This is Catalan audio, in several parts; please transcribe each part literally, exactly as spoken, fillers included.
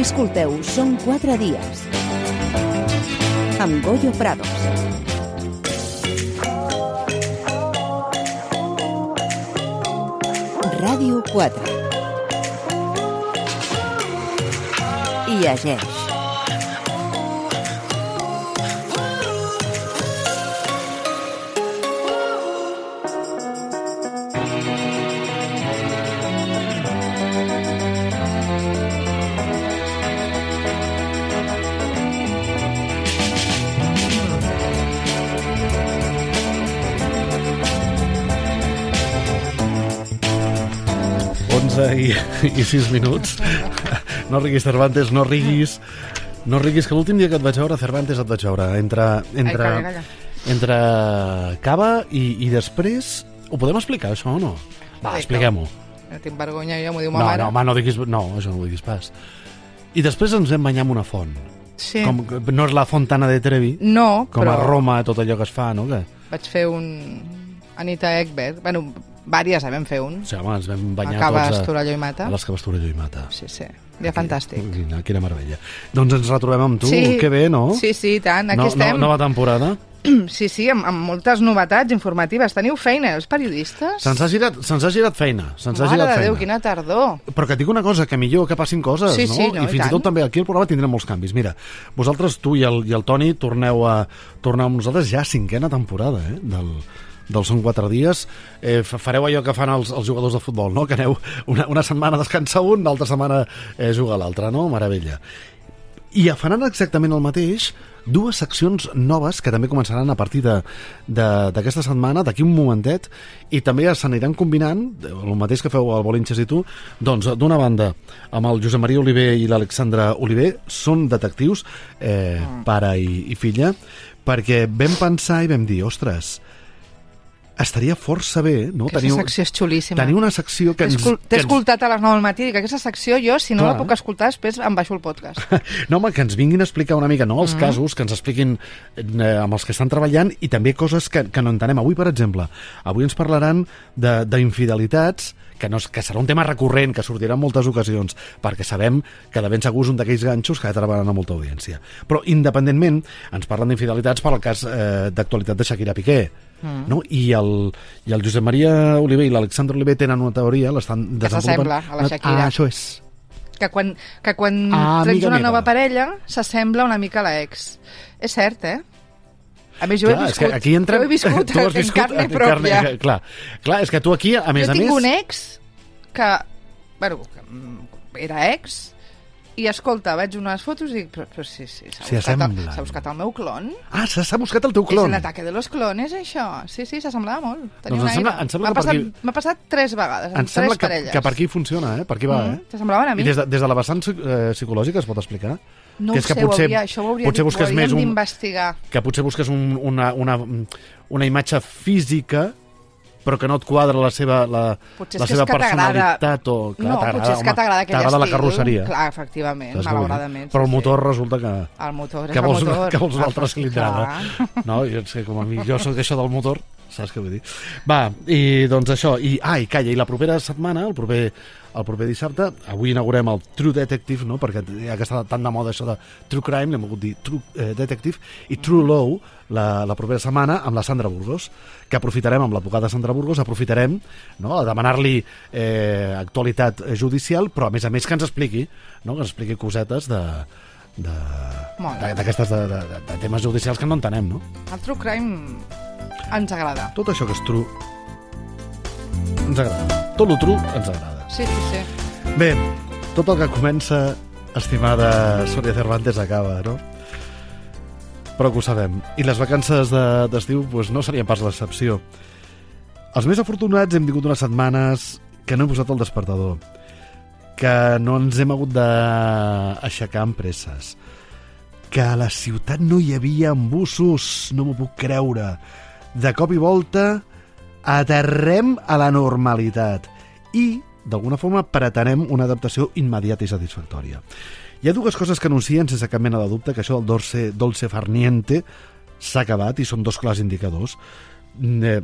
Escolteu Són quatre dies amb Goyo Prados. Ràdio quatre. I llegeix. I, i sis minuts. No riguis, Cervantes, no riguis. No riguis, que l'últim dia que et vaig veure, Cervantes, et vaig veure entre, entre, Ai, calla, calla. entre cava i, i després... Ho podem explicar, això, o no? Va, Ai, expliquem-ho. No tinc vergonya, ja m'ho diu ma No, mare. no, home, no diguis... No, això no ho diguis pas. I després ens vam banyar amb una font. Sí. Com, no és la Fontana de Trevi, No, com però a Roma, tot allò que es fa, no? Que... vaig fer un... Anita Ekberg. Bueno, vàries, eh, vam fer un. Sí, home, ens vam banyar A Caves, tots a, Torelló i Mata. a les Caves, Torelló i Mata. Sí, sí. Dia fantàstic. Quina, quina meravella. Doncs ens retrobem amb tu. Sí. Que bé, no? Sí, sí, i tant. Aquí no, estem. No, nova temporada. Sí, sí, amb, amb moltes novetats informatives. Teniu feina, els periodistes? Se'ns ha girat, se'ns ha girat feina. Se'ns ha Mare girat de feina. Déu, quina tardor. Però que et dic una cosa, que millor que passin coses, Sí, no? sí, no, I i fins i tant. tot també aquí al programa tindrem molts canvis. Mira, vosaltres, tu i el, i el Toni, torneu a torneu amb nosaltres ja cinquena temporada, eh? Del, del Són quatre dies. Eh, fareu allò que fan els, els jugadors de futbol, no? Que aneu una, una setmana a descansar un, l'altra setmana eh, juga l'altra, no? Meravella. I faran exactament el mateix dues seccions noves que també començaran a partir d'aquesta setmana, d'aquí un momentet, i també s'aniran combinant, el mateix que feu al Bolinxes i tu, doncs d'una banda amb el Josep Maria Oliver i l'Alexandra Oliver, són detectius, eh, pare i, i filla, perquè vam pensar i vam dir, ostres, estaria força bé, no? Aquesta secció és xulíssima. Tenir una secció que T'he ens... escol- que T'he ens- escoltat a les nou del matí, dic, aquesta secció jo, si no Clar. la puc escoltar, després em baixo el podcast. No, home, que ens vinguin a explicar una mica, no, els mm. casos, que ens expliquin eh, amb els que estan treballant i també coses que, que no entenem. Avui, per exemple, avui ens parlaran de- d'infidelitats, que, no, és- que serà un tema recurrent, que sortirà en moltes ocasions, perquè sabem que de ben segur és un d'aquells ganxos que atraparan a molta audiència. Però, independentment, ens parlen d'infidelitats per al cas eh, d'actualitat de Shakira Piqué. Mm. No? I, el, i el Josep Maria Oliver i l'Alexandre Oliver tenen una teoria, l'estan Que desenvolupant. s'assembla a la Shakira. Ah, això és. Que quan, que quan Ah, tens amiga una meva. nova parella s'assembla una mica a l'ex. És cert, eh? A més, jo Clar, he és viscut, que aquí entrem... jo he viscut, tu has en viscut carne en pròpia. carne- clar, clar, és que tu aquí, a més jo a tinc més... un ex que, bueno, que mm, era ex, i escolta, veig unes fotos i dic, però, però sí, sí, s'ha S'hi buscat, el- assemblen. s'ha buscat el meu clon? Ah, s'ha s'ha buscat el teu És clon. l'ataque de los clones, això. Sí, sí, s'assemblava molt. Tenia Doncs em un sembla- aire. em sembla M'ha que per passat, aquí- m'ha passat tres vegades, Em amb sembla tres que, parelles. que per aquí funciona, eh? Per aquí va, Mm, eh? s'assemblaven a mi. I des de, des de la vessant eh, psicològica es pot explicar? No que ho és que sé, potser, ho hauria, això ho hauria potser dit, busques ho més hauríem un, d'investigar. que potser busques un, una, una, una imatge física però que no et quadra la seva, la, Potser és la que és seva que t'agrada- personalitat o, clar, No, t'agrada, potser és que home, t'agrada aquell t'agrada la estil. carrosseria. Clar, efectivament, Saps què vull dir? malauradament. Però el sí, motor resulta que... Sí. El motor, és que el vols, motor. que vols una Ah, altra cilindrada. clar. No, jo, sé, com a mi, jo soc això del motor, saps què vull dir? Va, i doncs això, i, ah, i calla, i la propera setmana, el proper, el proper dissabte, avui inaugurem el True Detective, no? Perquè ja que està tan de moda això de True Crime, l'hem volgut dir True eh, Detective, i True Law, la, la propera setmana, amb la Sandra Burgos, que aprofitarem, amb l'advocada Sandra Burgos, aprofitarem, no?, a demanar-li eh, actualitat judicial, però a més a més que ens expliqui, no?, que ens expliqui cosetes de Molt bé. d'aquestes de, de, de, de temes judicials que no entenem, no? El true crime ens agrada. Tot això que és true ens agrada. Tot lo true ens agrada. Sí, sí, sí. Bé, tot el que comença, estimada Sònia Cervantes, acaba, no? Però que ho sabem. I les vacances de- d'estiu doncs, no serien pas l'excepció. Els més afortunats hem tingut unes setmanes que no hem posat el despertador, que no ens hem hagut d'aixecar amb presses, que a la ciutat no hi havia embussos, no m'ho puc creure. De cop i volta aterrem a la normalitat i, d'alguna forma, pretenem una adaptació immediata i satisfactòria. Hi ha dues coses que anuncien sense cap mena de dubte, que això del dolce, dolce far niente s'ha acabat i són dos clars indicadors. Eh,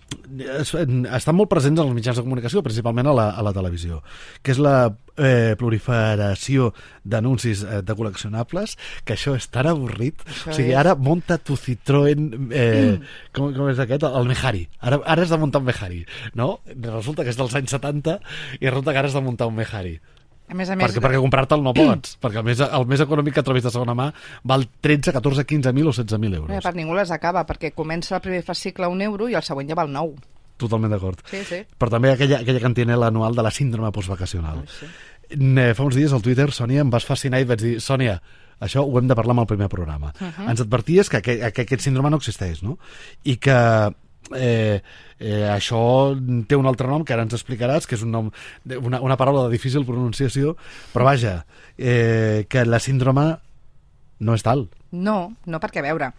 estan molt presents en els mitjans de comunicació, principalment a la, a la televisió, que és la eh, proliferació d'anuncis eh, de col·leccionables, que això és tan avorrit. Això o sigui, és... ara monta tu Citroën, eh, mm. com, com és aquest? El Mehari. Ara, ara has de muntar un Mehari, no? Resulta que és dels anys setanta i resulta que ara has de muntar un Mehari. A més a més... Perquè, perquè comprar-te'l no pots, perquè el més, el més econòmic que trobis de segona mà val tretze, catorze, quinze mil o setze mil euros. No, per ningú les acaba, perquè comença el primer fascicle a un euro i el següent ja val nou. Totalment d'acord. Sí, sí. Però també aquella, aquella cantinela anual de la síndrome postvacacional. Oh, sí. Fa uns dies al Twitter, Sònia, em vas fascinar i vaig dir, Sònia, això ho hem de parlar amb el primer programa. Uh -huh. Ens adverties que, que, que aquest síndrome no existeix, no? I que eh, eh, això té un altre nom que ara ens explicaràs, que és un nom, una, una paraula de difícil pronunciació, però vaja, eh, que la síndrome no és tal. No, no, perquè a veure,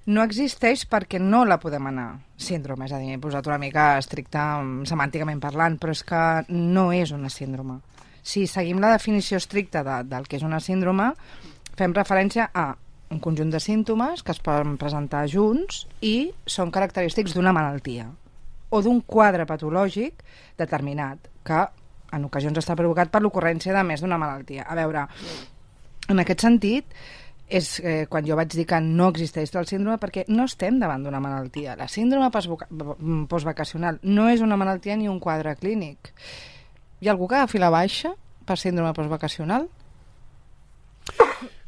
no existeix perquè no la podem anar síndrome, és a dir, he posat una mica estricta semànticament parlant, però és que no és una síndrome. Si seguim la definició estricta de, del que és una síndrome, fem referència a un conjunt de símptomes que es poden presentar junts i són característics d'una malaltia o d'un quadre patològic determinat que en ocasions està provocat per l'ocurrència de més d'una malaltia. A veure, en aquest sentit és eh, quan jo vaig dir que no existeix el síndrome perquè no estem davant d'una malaltia. La síndrome postvacacional no és una malaltia ni un quadre clínic. Hi ha algú que agafi la baixa per síndrome postvacacional?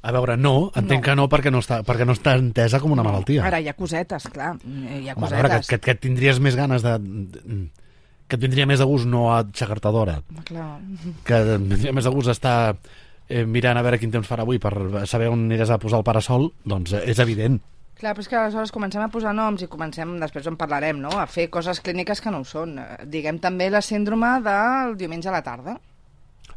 A veure, no, entenc no. que no perquè no, està, perquè no està entesa com una malaltia. Ara, hi ha cosetes, clar, hi ha cosetes. A veure, que, que, que et tindries més ganes de... que et vindria més de gust no a aixecar-te d'hora. Clar. Que et vindria més de gust estar eh, mirant a veure quin temps farà avui per saber on aniràs a posar el parasol, doncs eh, és evident. Clar, però és que aleshores comencem a posar noms i comencem, després en parlarem, no?, a fer coses clíniques que no ho són. Diguem també la síndrome del diumenge a la tarda.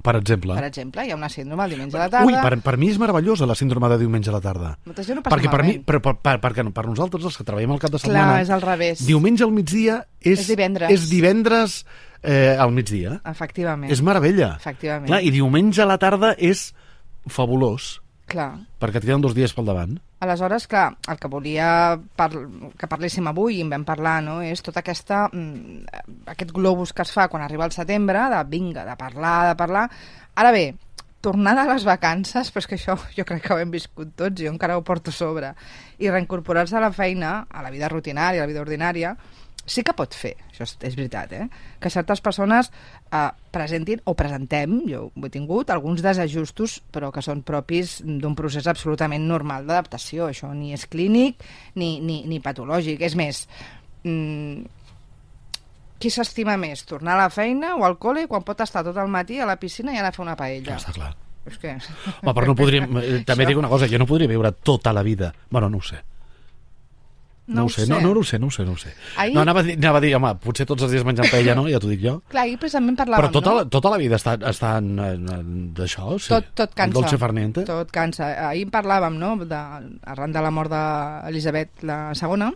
Per exemple. Per exemple, hi ha una síndrome el diumenge a la tarda. Ui, per, per mi és meravellosa la síndrome de diumenge a la tarda. Molta gent ho passa perquè per malament. mi, però per, per, per, per nosaltres, els que treballem al cap de setmana... Clar, és al revés. Diumenge al migdia és... És divendres. És divendres eh, al migdia. Efectivament. És meravella. Efectivament. Clar, i diumenge a la tarda és fabulós. Clar. Perquè et queden dos dies pel davant. Aleshores, clar, el que volia par que parléssim avui i en vam parlar, no?, és tota aquesta aquest globus que es fa quan arriba el setembre, de vinga, de parlar, de parlar. Ara bé, tornada a les vacances, però és que això jo crec que ho hem viscut tots, jo encara ho porto a sobre, i reincorporar-se a la feina, a la vida rutinària, a la vida ordinària, sí que pot fer, això és, és veritat, eh? que certes persones eh, presentin o presentem, jo ho he tingut, alguns desajustos, però que són propis d'un procés absolutament normal d'adaptació. Això ni és clínic ni, ni, ni patològic. És més, mmm, qui s'estima més, tornar a la feina o al col·le quan pot estar tot el matí a la piscina i anar a fer una paella? Ja està clar. És que... Home, però no podríem, també dic una cosa, jo no podria viure tota la vida. Bueno, no ho sé. No, no ho sé, sé. No, no, no ho sé, no ho sé, no ho sé. Ahir... No, anava a, dir, anava a dir, home, potser tots els dies menjant paella, no? Ja t'ho dic jo. Clar, ahir precisament parlàvem, però tota, no? la, tota la vida està, està en, en, d'això, sí. Tot, tot cansa. Dolce farniente. Tot cansa. Ahir parlàvem, no?, de, arran de la mort d'Elisabet la segona,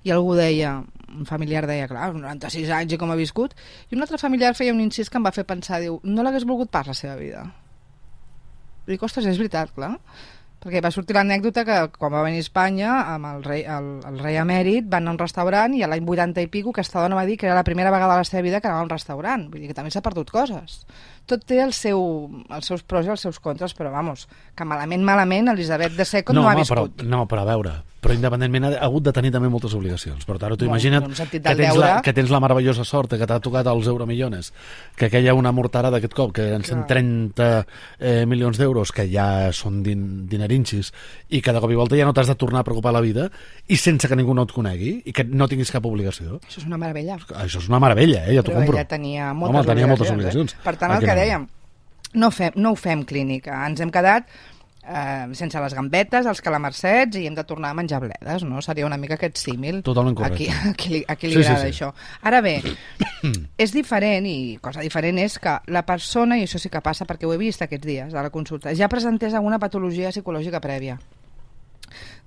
i algú deia, un familiar deia, clar, noranta-sis anys i com ha viscut, i un altre familiar feia un incís que em va fer pensar, diu, no l'hagués volgut pas la seva vida. Dic, ostres, és veritat, clar. Perquè va sortir l'anècdota que quan va venir a Espanya amb el rei, el, el rei emèrit van anar a un restaurant i a l'any vuitanta i pico aquesta dona va dir que era la primera vegada a la seva vida que anava a un restaurant. Vull dir que també s'ha perdut coses. Tot té el seu, els seus pros i els seus contres, però vamos, que malament, malament Elisabet de Second no, no ha home, viscut. Però, no, però a veure, però independentment ha hagut de tenir també moltes obligacions. Per tant, tu bueno, imagina't no que, tens la, que tens la meravellosa sort que t'ha tocat els euromillones, que aquella una morterada d'aquest cop, que en cent trenta eh, milions d'euros, que ja són din, dinerinxis, i que de cop i volta ja no t'has de tornar a preocupar la vida, i sense que ningú no et conegui, i que no tinguis cap obligació. Això és una meravella. Això és una meravella, eh? Ja t'ho compro. Però ella tenia moltes, Home, tenia moltes obligacions. obligacions. Eh? Per tant, el que dèiem, no, fem, no ho fem clínica, ens hem quedat eh, sense les gambetes, els calamarsets, i hem de tornar a menjar bledes, no? Seria una mica aquest símil. Totalment correcte. Aquí, a qui li, a qui li sí, agrada sí, sí. això. Ara bé, és diferent, i cosa diferent és que la persona, i això sí que passa perquè ho he vist aquests dies a la consulta, ja presentés alguna patologia psicològica prèvia.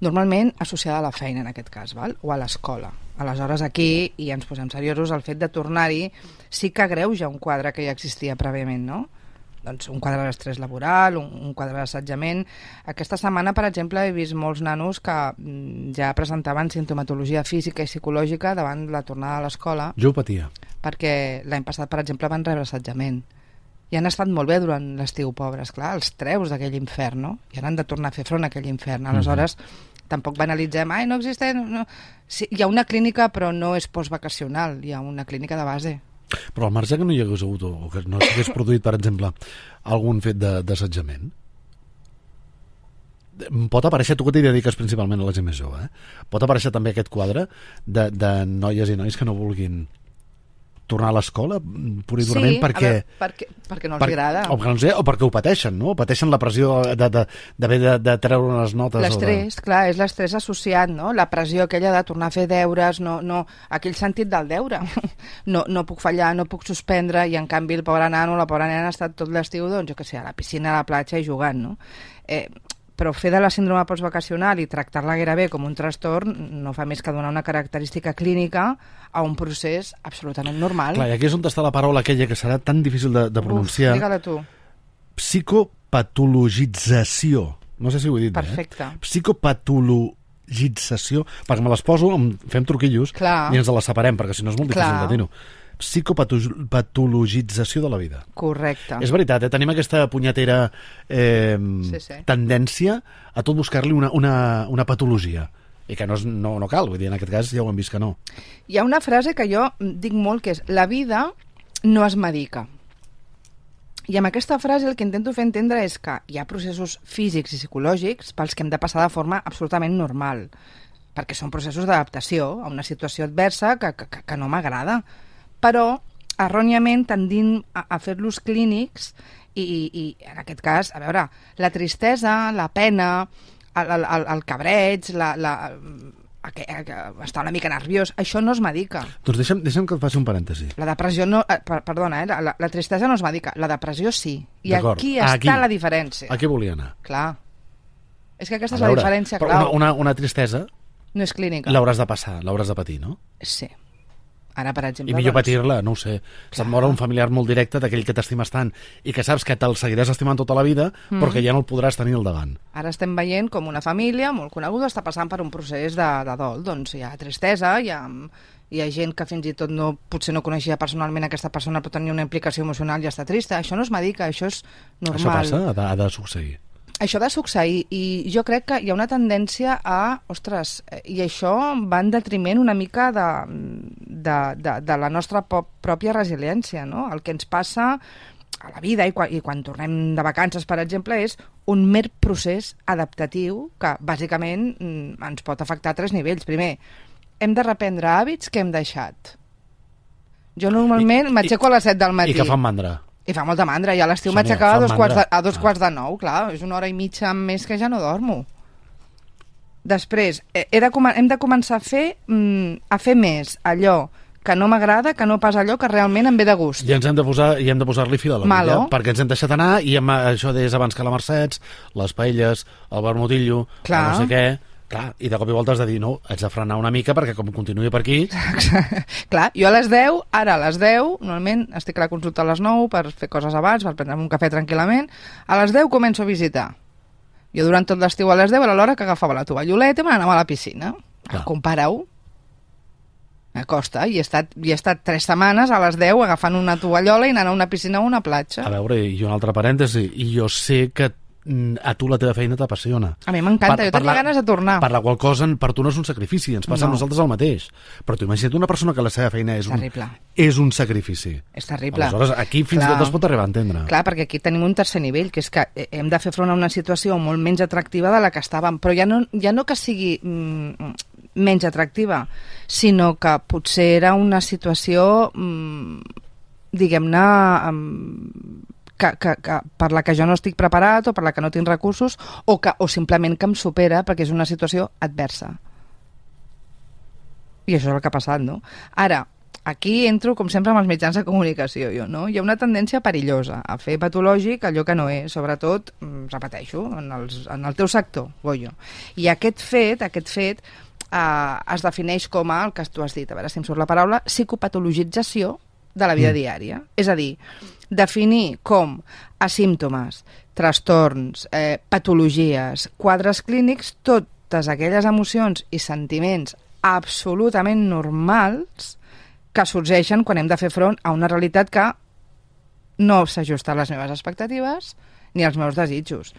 Normalment associada a la feina, en aquest cas, val? O a l'escola. Aleshores, aquí, i ens posem seriosos, el fet de tornar-hi sí que agreuja un quadre que ja existia prèviament, no? doncs, un quadre d'estrès laboral, un, un quadre d'assetjament. Aquesta setmana, per exemple, he vist molts nanos que mm, ja presentaven sintomatologia física i psicològica davant la tornada a l'escola. Jo ho patia. Perquè l'any passat, per exemple, van rebre assetjament. I han estat molt bé durant l'estiu, pobres. Clar, els treus d'aquell infern, no? I ara han de tornar a fer front a aquell infern. Aleshores, mm-hmm. tampoc banalitzem, ai, no existeix... No. Sí, hi ha una clínica, però no és postvacacional, hi ha una clínica de base. Però al marge que no hi hagués hagut, o que no s'hagués produït, per exemple, algun fet d'assetjament, pot aparèixer, tu que t'hi dediques principalment a la gent més jove, eh? Pot aparèixer també aquest quadre de, de noies i nois que no vulguin tornar a l'escola pur i durament sí, perquè, veure, perquè perquè no els per, agrada o, no sé, o perquè ho pateixen, no? Pateixen la pressió d'haver de, de, de, de treure unes notes. L'estrès, de... clar, és l'estrès associat, no? La pressió aquella de tornar a fer deures, no, no, aquell sentit del deure. No, no puc fallar, no puc suspendre, i en canvi el pobre nano o la pobra nena ha estat tot l'estiu, doncs, jo què sé, a la piscina, a la platja i jugant, no? Eh, però fer de la síndrome postvacacional i tractar-la gairebé com un trastorn no fa més que donar una característica clínica a un procés absolutament normal. Clar, i aquí és on està la paraula aquella que serà tan difícil de, de pronunciar. Uf, digue-la tu. Psicopatologització. No sé si ho he dit Perfecte. bé. Eh? Psicopatologització. Perquè me les poso, fem truquillos, Clar. I ens les separem, perquè si no és molt difícil Clar. De dir-ho. Psicopatologització de la vida. Correcte. És veritat, eh? Tenim aquesta punyetera eh, sí, sí. tendència a tot buscar-li una, una, una patologia. I que no, és, no, no cal, vull dir, en aquest cas ja ho hem vist que no. Hi ha una frase que jo dic molt, que és: la vida no es medica. I amb aquesta frase el que intento fer entendre és que hi ha processos físics i psicològics pels que hem de passar de forma absolutament normal, perquè són processos d'adaptació a una situació adversa que, que, que no m'agrada. Però, erròniament, tendint a, a fer-los clínics i, i, i, en aquest cas, a veure, la tristesa, la pena, el, el, el cabreig, la, la, el, el, estar una mica nerviós, això no es medica. Doncs deixa'm, deixa'm que et faci un parèntesi. La depressió no... Eh, per, perdona, eh, la, la tristesa no es medica, la depressió sí. I aquí està aquí, la diferència. Aquí volia anar. Clar. És que aquesta a és veure, la diferència clau. clau. Una, una, una tristesa... No és clínica. L'hauràs de passar, l'hauràs de patir, no? Sí. Ara, per exemple, I millor doncs... patir-la, no ho sé. Se't mor un familiar molt directe d'aquell que t'estimes tant i que saps que te'l seguiràs estimant tota la vida, mm. però que ja no el podràs tenir al davant. Ara estem veient com una família molt coneguda està passant per un procés de, de dol. Doncs hi ha tristesa, hi ha, hi ha gent que fins i tot no, potser no coneixia personalment aquesta persona, però tenia una implicació emocional i està trista. Això no es medica, això és normal. Això passa, ha de, ha de succeir. Això ha de succeir, i jo crec que hi ha una tendència a, ostres, i això va en detriment una mica de, de, de, de la nostra pròpia resiliència, no? El que ens passa a la vida i quan, i quan tornem de vacances, per exemple, és un mer procés adaptatiu que, bàsicament, ens pot afectar a tres nivells. Primer, hem de reprendre hàbits que hem deixat. Jo normalment m'aixeco a les set del matí. I que fan mandra. I fa molta mandra, i a l'estiu m'aixecava a dos, quarts de, a dos ah. quarts de nou, clar, és una hora i mitja més que ja no dormo. Després, he de, hem de començar a fer, mm, a fer més allò que no m'agrada, que no pas allò que realment em ve de gust. I ens hem de posar, i hem de posar-li fil a la vida, perquè ens hem deixat anar, i hem, això deies abans que la Mercès, les paelles, el vermutillo, el no sé què... Clar, i de cop i volta has de dir, no, haig de frenar una mica perquè com continuï per aquí... Clar, jo a les deu, ara a les deu, normalment estic a la consulta a les nou per fer coses abans, per prendre'm un cafè tranquil·lament, a les deu començo a visitar. Jo durant tot l'estiu a les deu era l'hora que agafava la tovalloleta i me n'anava a la piscina. Compara-ho. M'acosta, i he estat, i he estat tres setmanes a les deu agafant una tovallola i anant a una piscina o una platja. A veure, i un altre parèntesi, i jo sé que a tu la teva feina t'apassiona. A mi m'encanta, jo tenia ganes de tornar. Per la qual cosa per tu no és un sacrifici, ens passa no. a nosaltres el mateix. Però tu imagina't una persona que la seva feina és, un, és un sacrifici. És terrible. Aleshores, aquí fins i tot es pot arribar a entendre. Clar, perquè aquí tenim un tercer nivell, que és que hem de fer front a una situació molt menys atractiva de la que estàvem, però ja no, ja no que sigui mm, menys atractiva, sinó que potser era una situació, mm, diguem-ne... Mm, Que, que, que per la que jo no estic preparat o per la que no tinc recursos o, que, o simplement que em supera perquè és una situació adversa. I això és el que ha passat, no? Ara, aquí entro, com sempre, amb els mitjans de comunicació, jo, no? Hi ha una tendència perillosa a fer patològic allò que no és, sobretot, repeteixo, en, els, en el teu sector, Goyo. I aquest fet, aquest fet eh, es defineix com a, el que tu has dit, a veure si em surt la paraula, psicopatologització de la vida mm. diària. És a dir, definir com asímptomes, trastorns, eh, patologies, quadres clínics, totes aquelles emocions i sentiments absolutament normals que sorgeixen quan hem de fer front a una realitat que no s'ajusta a les meves expectatives ni als meus desitjos.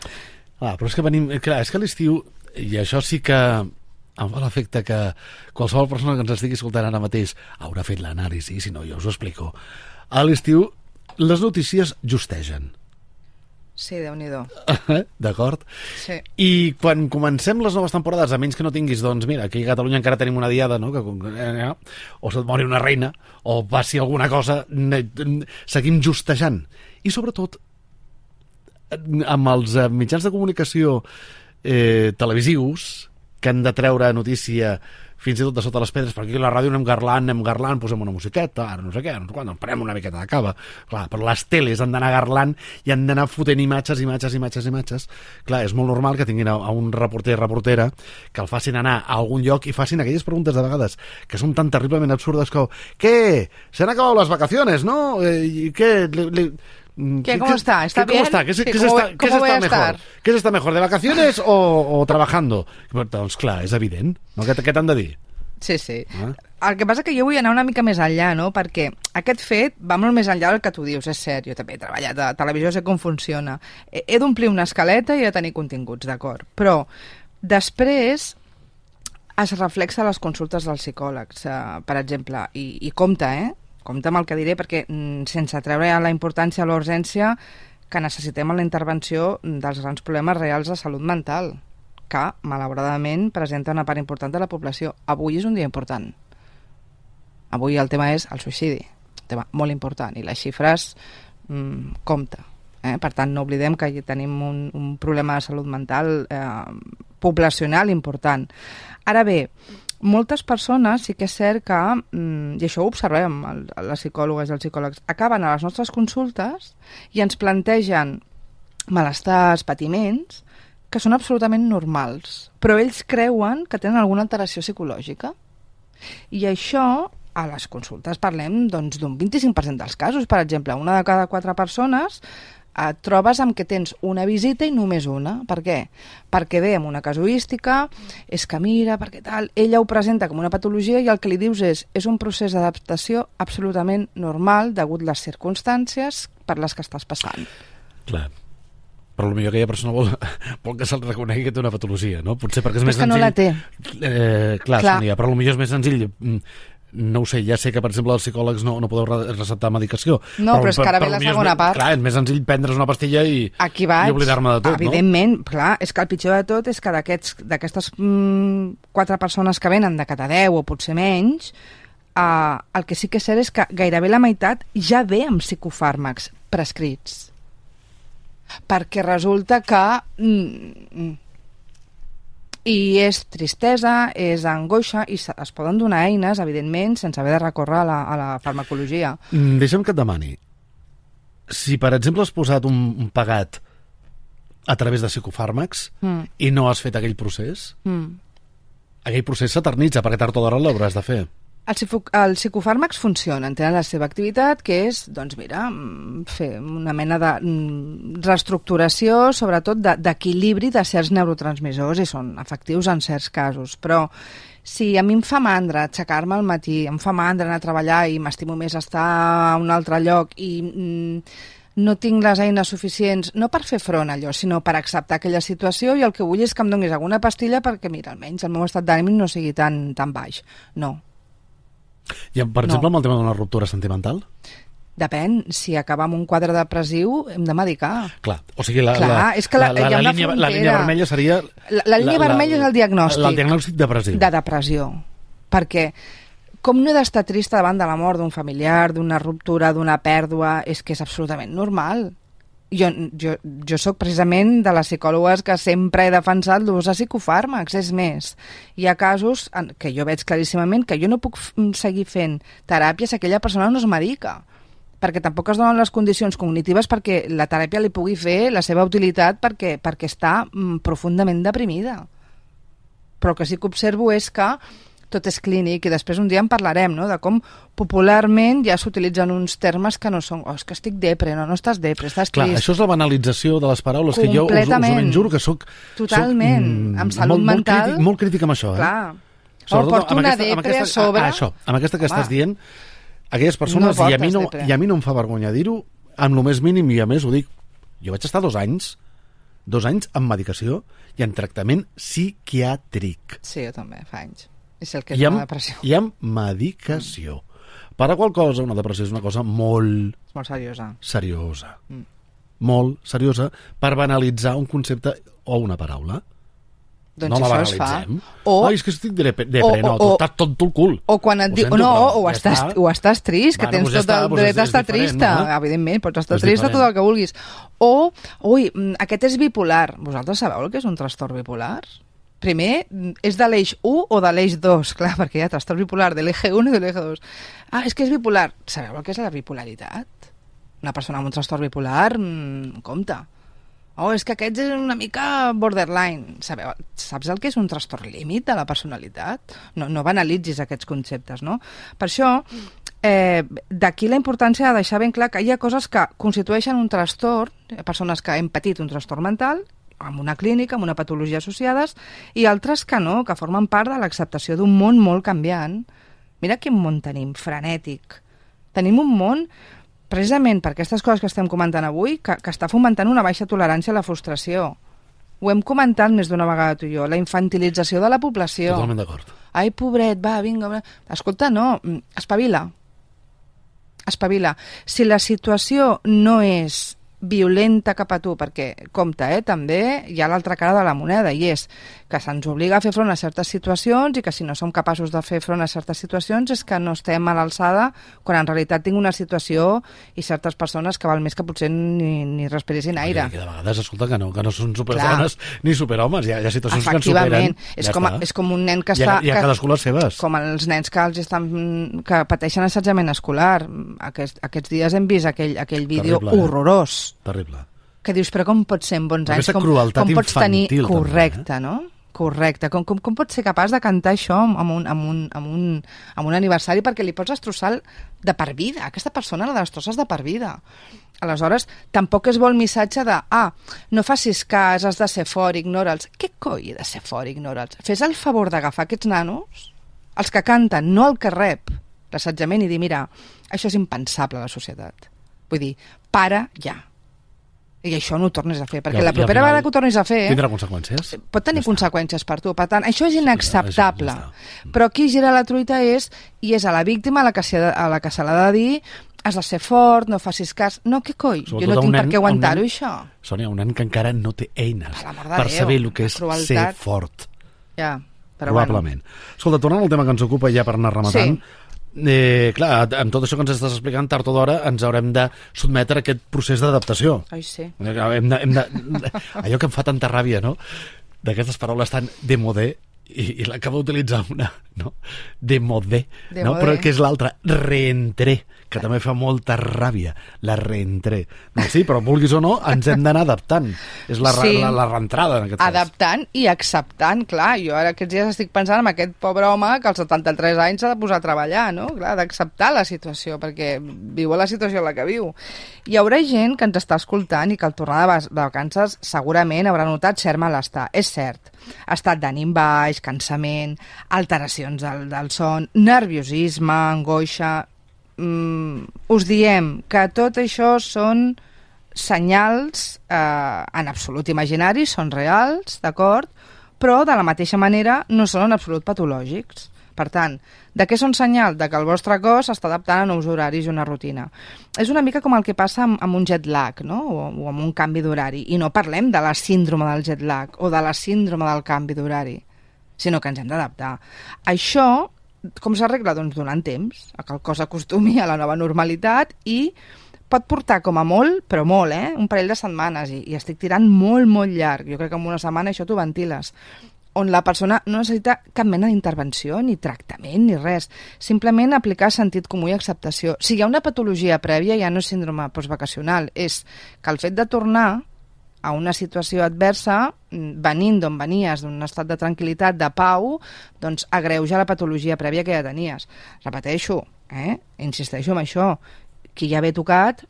Ah, però és que venim... Clar, és que a l'estiu, i això sí que em fa l'efecte que qualsevol persona que ens estigui escoltant ara mateix haurà fet l'anàlisi, si no jo us ho explico. A l'estiu les notícies justegen. Sí, Déu-n'hi-do. D'acord? Sí. I quan comencem les noves temporades, a menys que no tinguis, doncs mira, aquí a Catalunya encara tenim una diada, no? Que, eh, o se't mori una reina, o passi alguna cosa, seguim justejant. I sobretot, amb els mitjans de comunicació eh, televisius, que han de treure notícia fins i tot de sota les pedres, perquè aquí a la ràdio anem garlant, anem garlant, posem una musiqueta, ara no sé què, no sé quan, prenem una miqueta de cava. Clar, però les teles han d'anar garlant i han d'anar fotent imatges, imatges, imatges, imatges. Clar, és molt normal que tinguin a, a un reporter, reportera, que el facin anar a algun lloc i facin aquelles preguntes de vegades que són tan terriblement absurdes com ¿qué? ¿Se han acabado las vacaciones, no? Eh, ¿Qué? Le, le... ¿Qué, ¿Cómo está? ¿Está ¿Qué, bien? ¿Cómo está? ¿Qué, Sí, ¿qué, ¿cómo, se está, ¿cómo ¿qué se voy está a mejor? estar? ¿Qué se está mejor, de vacaciones o, o trabajando? Doncs clar, és evident. No? Què, què t'han de dir? Sí, sí. Ah. El que passa que jo vull anar una mica més enllà, no? Perquè aquest fet va molt més enllà del que tu dius, és cert. Jo també he treballat a televisió, sé com funciona. He, he d'omplir una escaleta i he de tenir continguts, d'acord. Però després es reflexa a les consultes dels psicòlegs, eh, per exemple, i, i compte, eh? Compte amb el que diré, perquè mm, sense treure la importància o la urgència que necessitem en la intervenció dels grans problemes reals de salut mental, que, malauradament, presenta una part important de la població. Avui és un dia important. Avui el tema és el suïcidi, un tema molt important, i les xifres, mmm, compte. Eh? Per tant, no oblidem que tenim un, un problema de salut mental eh, poblacional important. Ara bé, moltes persones sí que és cert que, mmm, i això ho observem, el, les psicòlogues i els psicòlegs, acaben a les nostres consultes i ens plantegen malestars, patiments, que són absolutament normals, però ells creuen que tenen alguna alteració psicològica. I això, a les consultes parlem doncs, d'un vint-i-cinc per cent dels casos. Per exemple, una de cada quatre persones et trobes amb que tens una visita i només una. Per què? Perquè ve amb una casuística, és que mira, perquè tal, ella ho presenta com una patologia i el que li dius és és un procés d'adaptació absolutament normal degut a les circumstàncies per les que estàs passant. Clar. Però potser aquella persona vol, vol que se'l reconegui que té una patologia, no? Potser perquè és però més és que senzill... no la té. Eh, clar, clar. Sonia, però potser és més senzill... No ho sé, ja sé que, per exemple, els psicòlegs no, no podeu receptar medicació. No, però, però és que ara ve la segona és, part. Clar, és més senzill prendre's una pastilla i, Aquí vaig. i oblidar-me de tot, Evidentment, no? clar, és que el pitjor de tot és que d'aquestes mm, quatre persones que venen de cada deu o potser menys, eh, el que sí que és cert és que gairebé la meitat ja ve amb psicofàrmacs prescrits. Perquè resulta que... Mm, i és tristesa, és angoixa, i es poden donar eines, evidentment, sense haver de recórrer a la, a la farmacologia. Mm, deixa'm que et demani. Si, per exemple, has posat un, un pagat a través de psicofàrmacs mm. i no has fet aquell procés, mm. aquell procés s'eternitza, perquè tard o d'hora l'hauràs de fer. Els el psicofàrmacs funcionen, tenen la seva activitat, que és, doncs mira, fer una mena de reestructuració, sobretot d'equilibri de certs neurotransmissors, i són efectius en certs casos. Però si a mi em fa mandra aixecar-me al matí, em fa mandra anar a treballar i m'estimo més estar a un altre lloc i mm, no tinc les eines suficients, no per fer front a allò, sinó per acceptar aquella situació, i el que vull és que em donis alguna pastilla perquè, mira, almenys el meu estat d'ànim no sigui tan, tan baix. No. I, per exemple, no. Amb el tema d'una ruptura sentimental? Depèn, si acaba amb un quadre depressiu hem de medicar. Clar, o sigui, la, Clar, la, és que la, la, la, la, línia, la línia vermella seria... La, la línia la, vermella la, és el diagnòstic. El diagnòstic depressiu. De depressió. Perquè com no he d'estar trista davant de la mort d'un familiar, d'una ruptura, d'una pèrdua, és que és absolutament normal. Jo, jo, jo sóc precisament de les psicòlogues que sempre he defensat l'ús de psicofàrmacs. És més, hi ha casos en que jo veig claríssimament que jo no puc seguir fent teràpia si aquella persona no es medica, perquè tampoc es donen les condicions cognitives perquè la teràpia li pugui fer la seva utilitat perquè, perquè està mm, profundament deprimida. Però el que sí que observo és que tot és clínic, i després un dia en parlarem, no?, de com popularment ja s'utilitzen uns termes que no són, oh, és que estic depre, no, no estàs depre, estàs Clar, trist. això és la banalització de les paraules, que jo us, us ho ben juro que soc... Totalment, soc, mm, amb salut molt, mental... Molt crític, molt crític amb això, eh? Clar. Sobretot o porto una aquesta, depre aquesta, a sobre... Ah, això, amb aquesta que Home. estàs dient, aquelles persones, No i, a mi no, portes depre. i a mi no em fa vergonya dir-ho, amb el més mínim, i a més ho dic, jo vaig estar dos anys, dos anys en medicació i en tractament psiquiàtric. Sí, jo també, fa anys. I sé el que és I amb, una depressió. I amb medicació. Mm. Per a qual cosa, una depressió és una cosa molt... És molt seriosa. Seriosa. Mm. Molt seriosa per banalitzar un concepte o una paraula. Doncs no la això es fa. banalitzem. O, Ai, és que estic depre, depre o- no, o- tu estàs tot el cul. o quan et Ho diu, sento, no, però o, ja estàs, està. o estàs trist, que Bueno, tens doncs ja tot està, el doncs dret és- a és estar diferent, trista. no? Evidentment, pots estar És trista tot diferent. el que vulguis. O, ui, mm, aquest és bipolar. Vosaltres sabeu el que és un trastorn bipolar? Primer, mm, és de l'eix u o de l'eix dos? Clar, perquè hi ha trastorn bipolar de l'eix u i de l'eix dos. Ah, és que és bipolar. Sabeu el que és la bipolaritat? Una persona amb un trastorn bipolar, mm, compte. Oh, és que aquest és una mica borderline. Sabeu, saps el que és un trastorn límit de la personalitat? No, no banalitzis aquests conceptes, no? Per això, eh, d'aquí la importància de deixar ben clar que hi ha coses que constitueixen un trastorn, persones que hem patit un trastorn mental, amb una clínica, amb una patologia associades, i altres que no, que formen part de l'acceptació d'un món molt canviant. Mira quin món tenim, frenètic. Tenim un món, precisament per aquestes coses que estem comentant avui, que, que està fomentant una baixa tolerància a la frustració. Ho hem comentat més d'una vegada tu i jo, la infantilització de la població. Totalment d'acord. Ai, pobret, va, vinga. Va. Escolta, no, espavila. Espavila. Si la situació no és violenta cap a tu, perquè, compte, eh, també hi ha l'altra cara de la moneda, i és que se'ns obliga a fer front a certes situacions i que si no som capaços de fer front a certes situacions és que no estem a l'alçada, quan en realitat tinc una situació i certes persones que val més que potser ni, ni respiressin aire. Que de vegades, escolta, que no, que no són superdones ni superhomes, hi ha, hi ha situacions que ens Efectivament, superen. és, Ja com, està. és com un nen que Hi ha, està... hi ha que, cadascú les seves. com els nens que els estan que pateixen assetjament escolar. Aquest, aquests dies hem vist aquell, aquell vídeo Terrible, eh? horrorós. Terrible. Que dius, però com pots ser en bons anys? Aquesta Com, crueltat com pots tenir... infantil, també, Correcte, no? Correcte. Com, com, com pots ser capaç de cantar això amb un, amb, un, amb, un, amb un aniversari perquè li pots destrossar de per vida? Aquesta persona la destrosses de per vida. Aleshores, tampoc és bo el missatge de ah, no facis cas, has de ser fort, ignora'ls. Què coi he de ser fort, ignora'ls? Fes el favor d'agafar aquests nanos, els que canten, no el que rep l'assetjament, i dir, mira, això és impensable a la societat. Vull dir, para ja. I això no ho tornis a fer, perquè I al- la i al propera final vegada que ho tornis a fer Tindrà conseqüències? pot tenir Ja està. conseqüències per tu. Per tant, això és inacceptable. Ja està. Però qui gira la truita és, i és a la víctima a la que, s'ha de- a la que se l'ha de dir, has de ser fort, no facis cas. No, què coi? Sobretot Jo no a un tinc per nen- què a un aguantar-ho, nen- això. Sònia, un nen que encara no té eines Per l'amor de per Déu, saber el que la és crueltat. ser fort. Ja, però Probablement. Escolta, tornant al tema que ens ocupa ja per anar rematant, Sí. eh, clar, amb tot això que ens estàs explicant, tard o d'hora ens haurem de sotmetre a aquest procés d'adaptació. bueno. Ai, sí. Hem de, hem de, allò que em fa tanta ràbia, no?, d'aquestes paraules tan démodé, i, i l'acaba d'utilitzar una, no?, démodé, no? Démodé. Però que és l'altra, reentré, que també fa molta ràbia, la reentré. Doncs sí, però vulguis o no, ens hem d'anar adaptant. És la, Sí. la, la reentrada, en aquest cas. Adaptant i acceptant, clar. Jo ara aquests dies estic pensant en aquest pobre home que als setanta-tres anys s'ha de posar a treballar, no? Clar, d'acceptar la situació, perquè viu a la situació en la que viu. Hi haurà gent que ens està escoltant i que al tornar de va- de vacances segurament haurà notat cert malestar. És cert. Estat d'ànim baix, cansament, alteracions del, del son, nerviosisme, angoixa... Mm, us diem que tot això són senyals eh, en absolut imaginaris, són reals, d'acord? Però de la mateixa manera no són en absolut patològics. Per tant, de què són senyal? De que el vostre cos s'està adaptant a nous horaris i una rutina. És una mica com el que passa amb, amb un jet lag, no? O, o amb un canvi d'horari. I no parlem de la síndrome del jet lag o de la síndrome del canvi d'horari, sinó que ens hem d'adaptar. Això, com s'arregla? Doncs donant temps a que el cos acostumi a la nova normalitat, i pot portar com a molt, però molt, eh? un parell de setmanes, i, i estic tirant molt, molt llarg. Jo crec que en una setmana això t'ho ventiles, on la persona no necessita cap mena d'intervenció, ni tractament, ni res. Simplement aplicar sentit comú i acceptació. Si hi ha una patologia prèvia, ja no és síndrome postvacacional, és que el fet de tornar a una situació adversa venint d'on venies, d'un estat de tranquil·litat, de pau, doncs agreuja la patologia prèvia que ja tenies. Repeteixo, eh? Insisteixo en això, qui ja ve tocat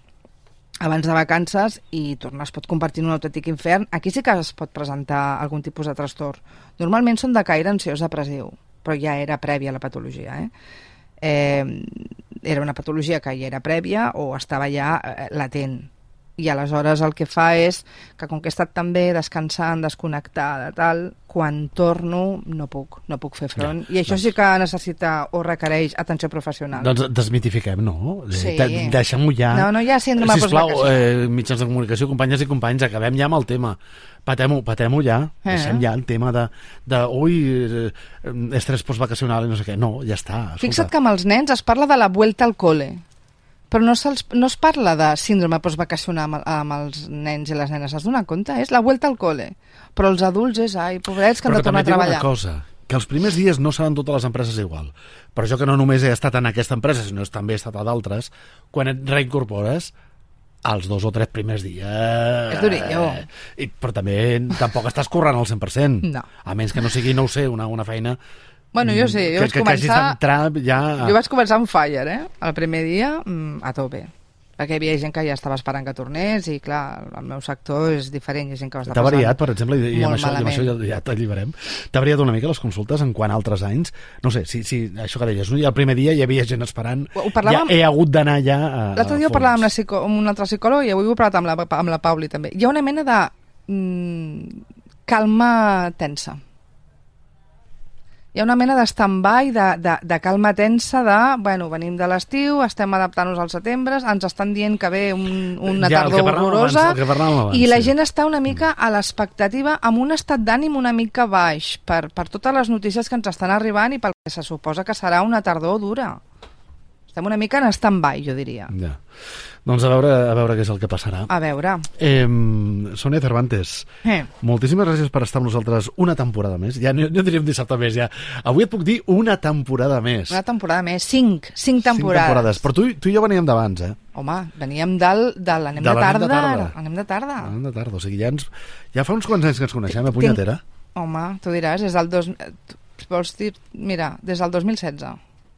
abans de vacances i tornar es pot convertir en un autèntic infern, aquí sí que es pot presentar algun tipus de trastorn. Normalment són de caire ansiós depressiu, però ja era prèvia la patologia, eh? Eh, era una patologia que ja era prèvia o estava ja eh, latent. I aleshores el que fa és que com que he estat també descansant, desconnectada, tal, quan torno no puc, no puc fer front. Ja, I això doncs... sí que necessita o requereix atenció professional. Doncs desmitifiquem, no? Sí. De Deixem-ho ja. No, no hi ha síndrome de postvacació. Sisplau, eh, mitjans de comunicació, companyes i companys, acabem ja amb el tema. Patem-ho, patem-ho ja. Eh. Deixem ja el tema de, de ui, eh, estrès postvacacional i no sé què. No, ja està. Escolta. Fixa't que amb els nens es parla de la vuelta al cole, però no, no es parla de síndrome postvacacional amb, amb els nens i les nenes. Has donat compte? És la vuelta al cole. Però els adults és, ai, pobrets, que han de tornar a treballar. Però també dic una cosa, que els primers dies no seran totes les empreses igual. Però jo que no només he estat en aquesta empresa, sinó que també he estat a d'altres, quan et reincorpores, els dos o tres primers dies... És durillo. I, però també tampoc estàs corrent al cent per cent. No. A menys que no sigui, no ho sé, una, una feina... Bueno, jo sé, jo que, vaig començar... Que hagis d'entrar ja... Jo vaig començar on fire, eh? El primer dia, a tope. Perquè hi havia gent que ja estava esperant que tornés i, clar, el meu sector és diferent, hi ha gent que va estar passant. T'ha variat, per exemple, i, i amb això, malament. I amb això ja, ja t'alliberem. T'ha variat una mica les consultes en quant a altres anys? No sé, si, si això que deies, no? I el primer dia hi havia gent esperant, ja he hagut d'anar ja a, a l'altre dia ho parlàvem amb, psico... amb un altre psicòleg i avui ho he parlat amb la, amb la Pauli també. Hi ha una mena de mm, calma tensa. Hi ha una mena de stand-by, de, de, de calma tensa, de, bueno, venim de l'estiu, estem adaptant-nos al setembre, ens estan dient que ve un, una ja, tardor horrorosa, abans, i la sí. gent està una mica a l'expectativa, amb un estat d'ànim una mica baix, per, per totes les notícies que ens estan arribant i pel que se suposa que serà una tardor dura. Estem una mica en stand-by, jo diria. Ja. Doncs a veure, a veure què és el que passarà. A veure. Eh, Sònia Cervantes, eh. moltíssimes gràcies per estar amb nosaltres una temporada més. Ja no, no diríem dissabte més, ja. Avui et puc dir una temporada més. Una temporada més, cinc, cinc temporades. Cinc temporades. Però tu, tu i jo veníem d'abans, eh? Home, veníem del, de l'anem de, de, tarda. de tarda. Anem de tarda. Anem de tarda, o sigui, ja, ens, ja fa uns quants anys que ens coneixem, a punyetera. Home, tu diràs, des del dos... Vols dir, mira, des del dos mil setze.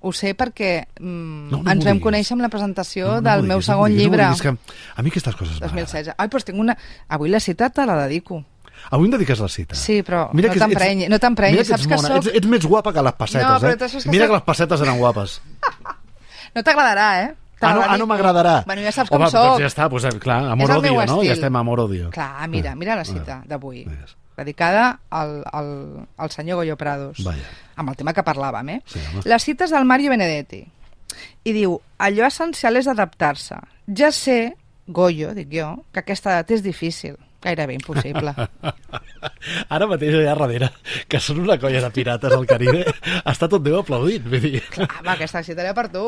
Ho sé perquè mm, no, no ens vam conèixer amb la presentació no, no del meu segon no llibre. No que a mi aquestes coses dos mil setze. Ai, doncs tinc una... Avui la cita te la dedico. Avui em dediques la cita? Sí, però mira no t'emprenyi, no t'emprenyi. Saps que soc... ets, ets més guapa que les pessetes, no, eh? Que mira soc... que les pessetes eren guapes. No t'agradarà, eh? Ah, no, ah, no m'agradarà. Bueno, ja saps com Home, soc. Doncs ja està, doncs, clar, amor-odio, no? Ja estem amor-odio. Clar, mira, mira la cita d'avui. Dedicada al, al, al senyor Goyo Prados. Vaya. Amb el tema que parlàvem, eh? Sí, les cites del Mario Benedetti. I diu, allò essencial és adaptar-se. Ja sé, Goyo, dic jo, que aquesta edat és difícil. Gairebé impossible. Ara mateix allà darrere, que són una colla de pirates al Caribe, està tot Déu aplaudint. Vull dir. Clar, va, aquesta cita era per tu.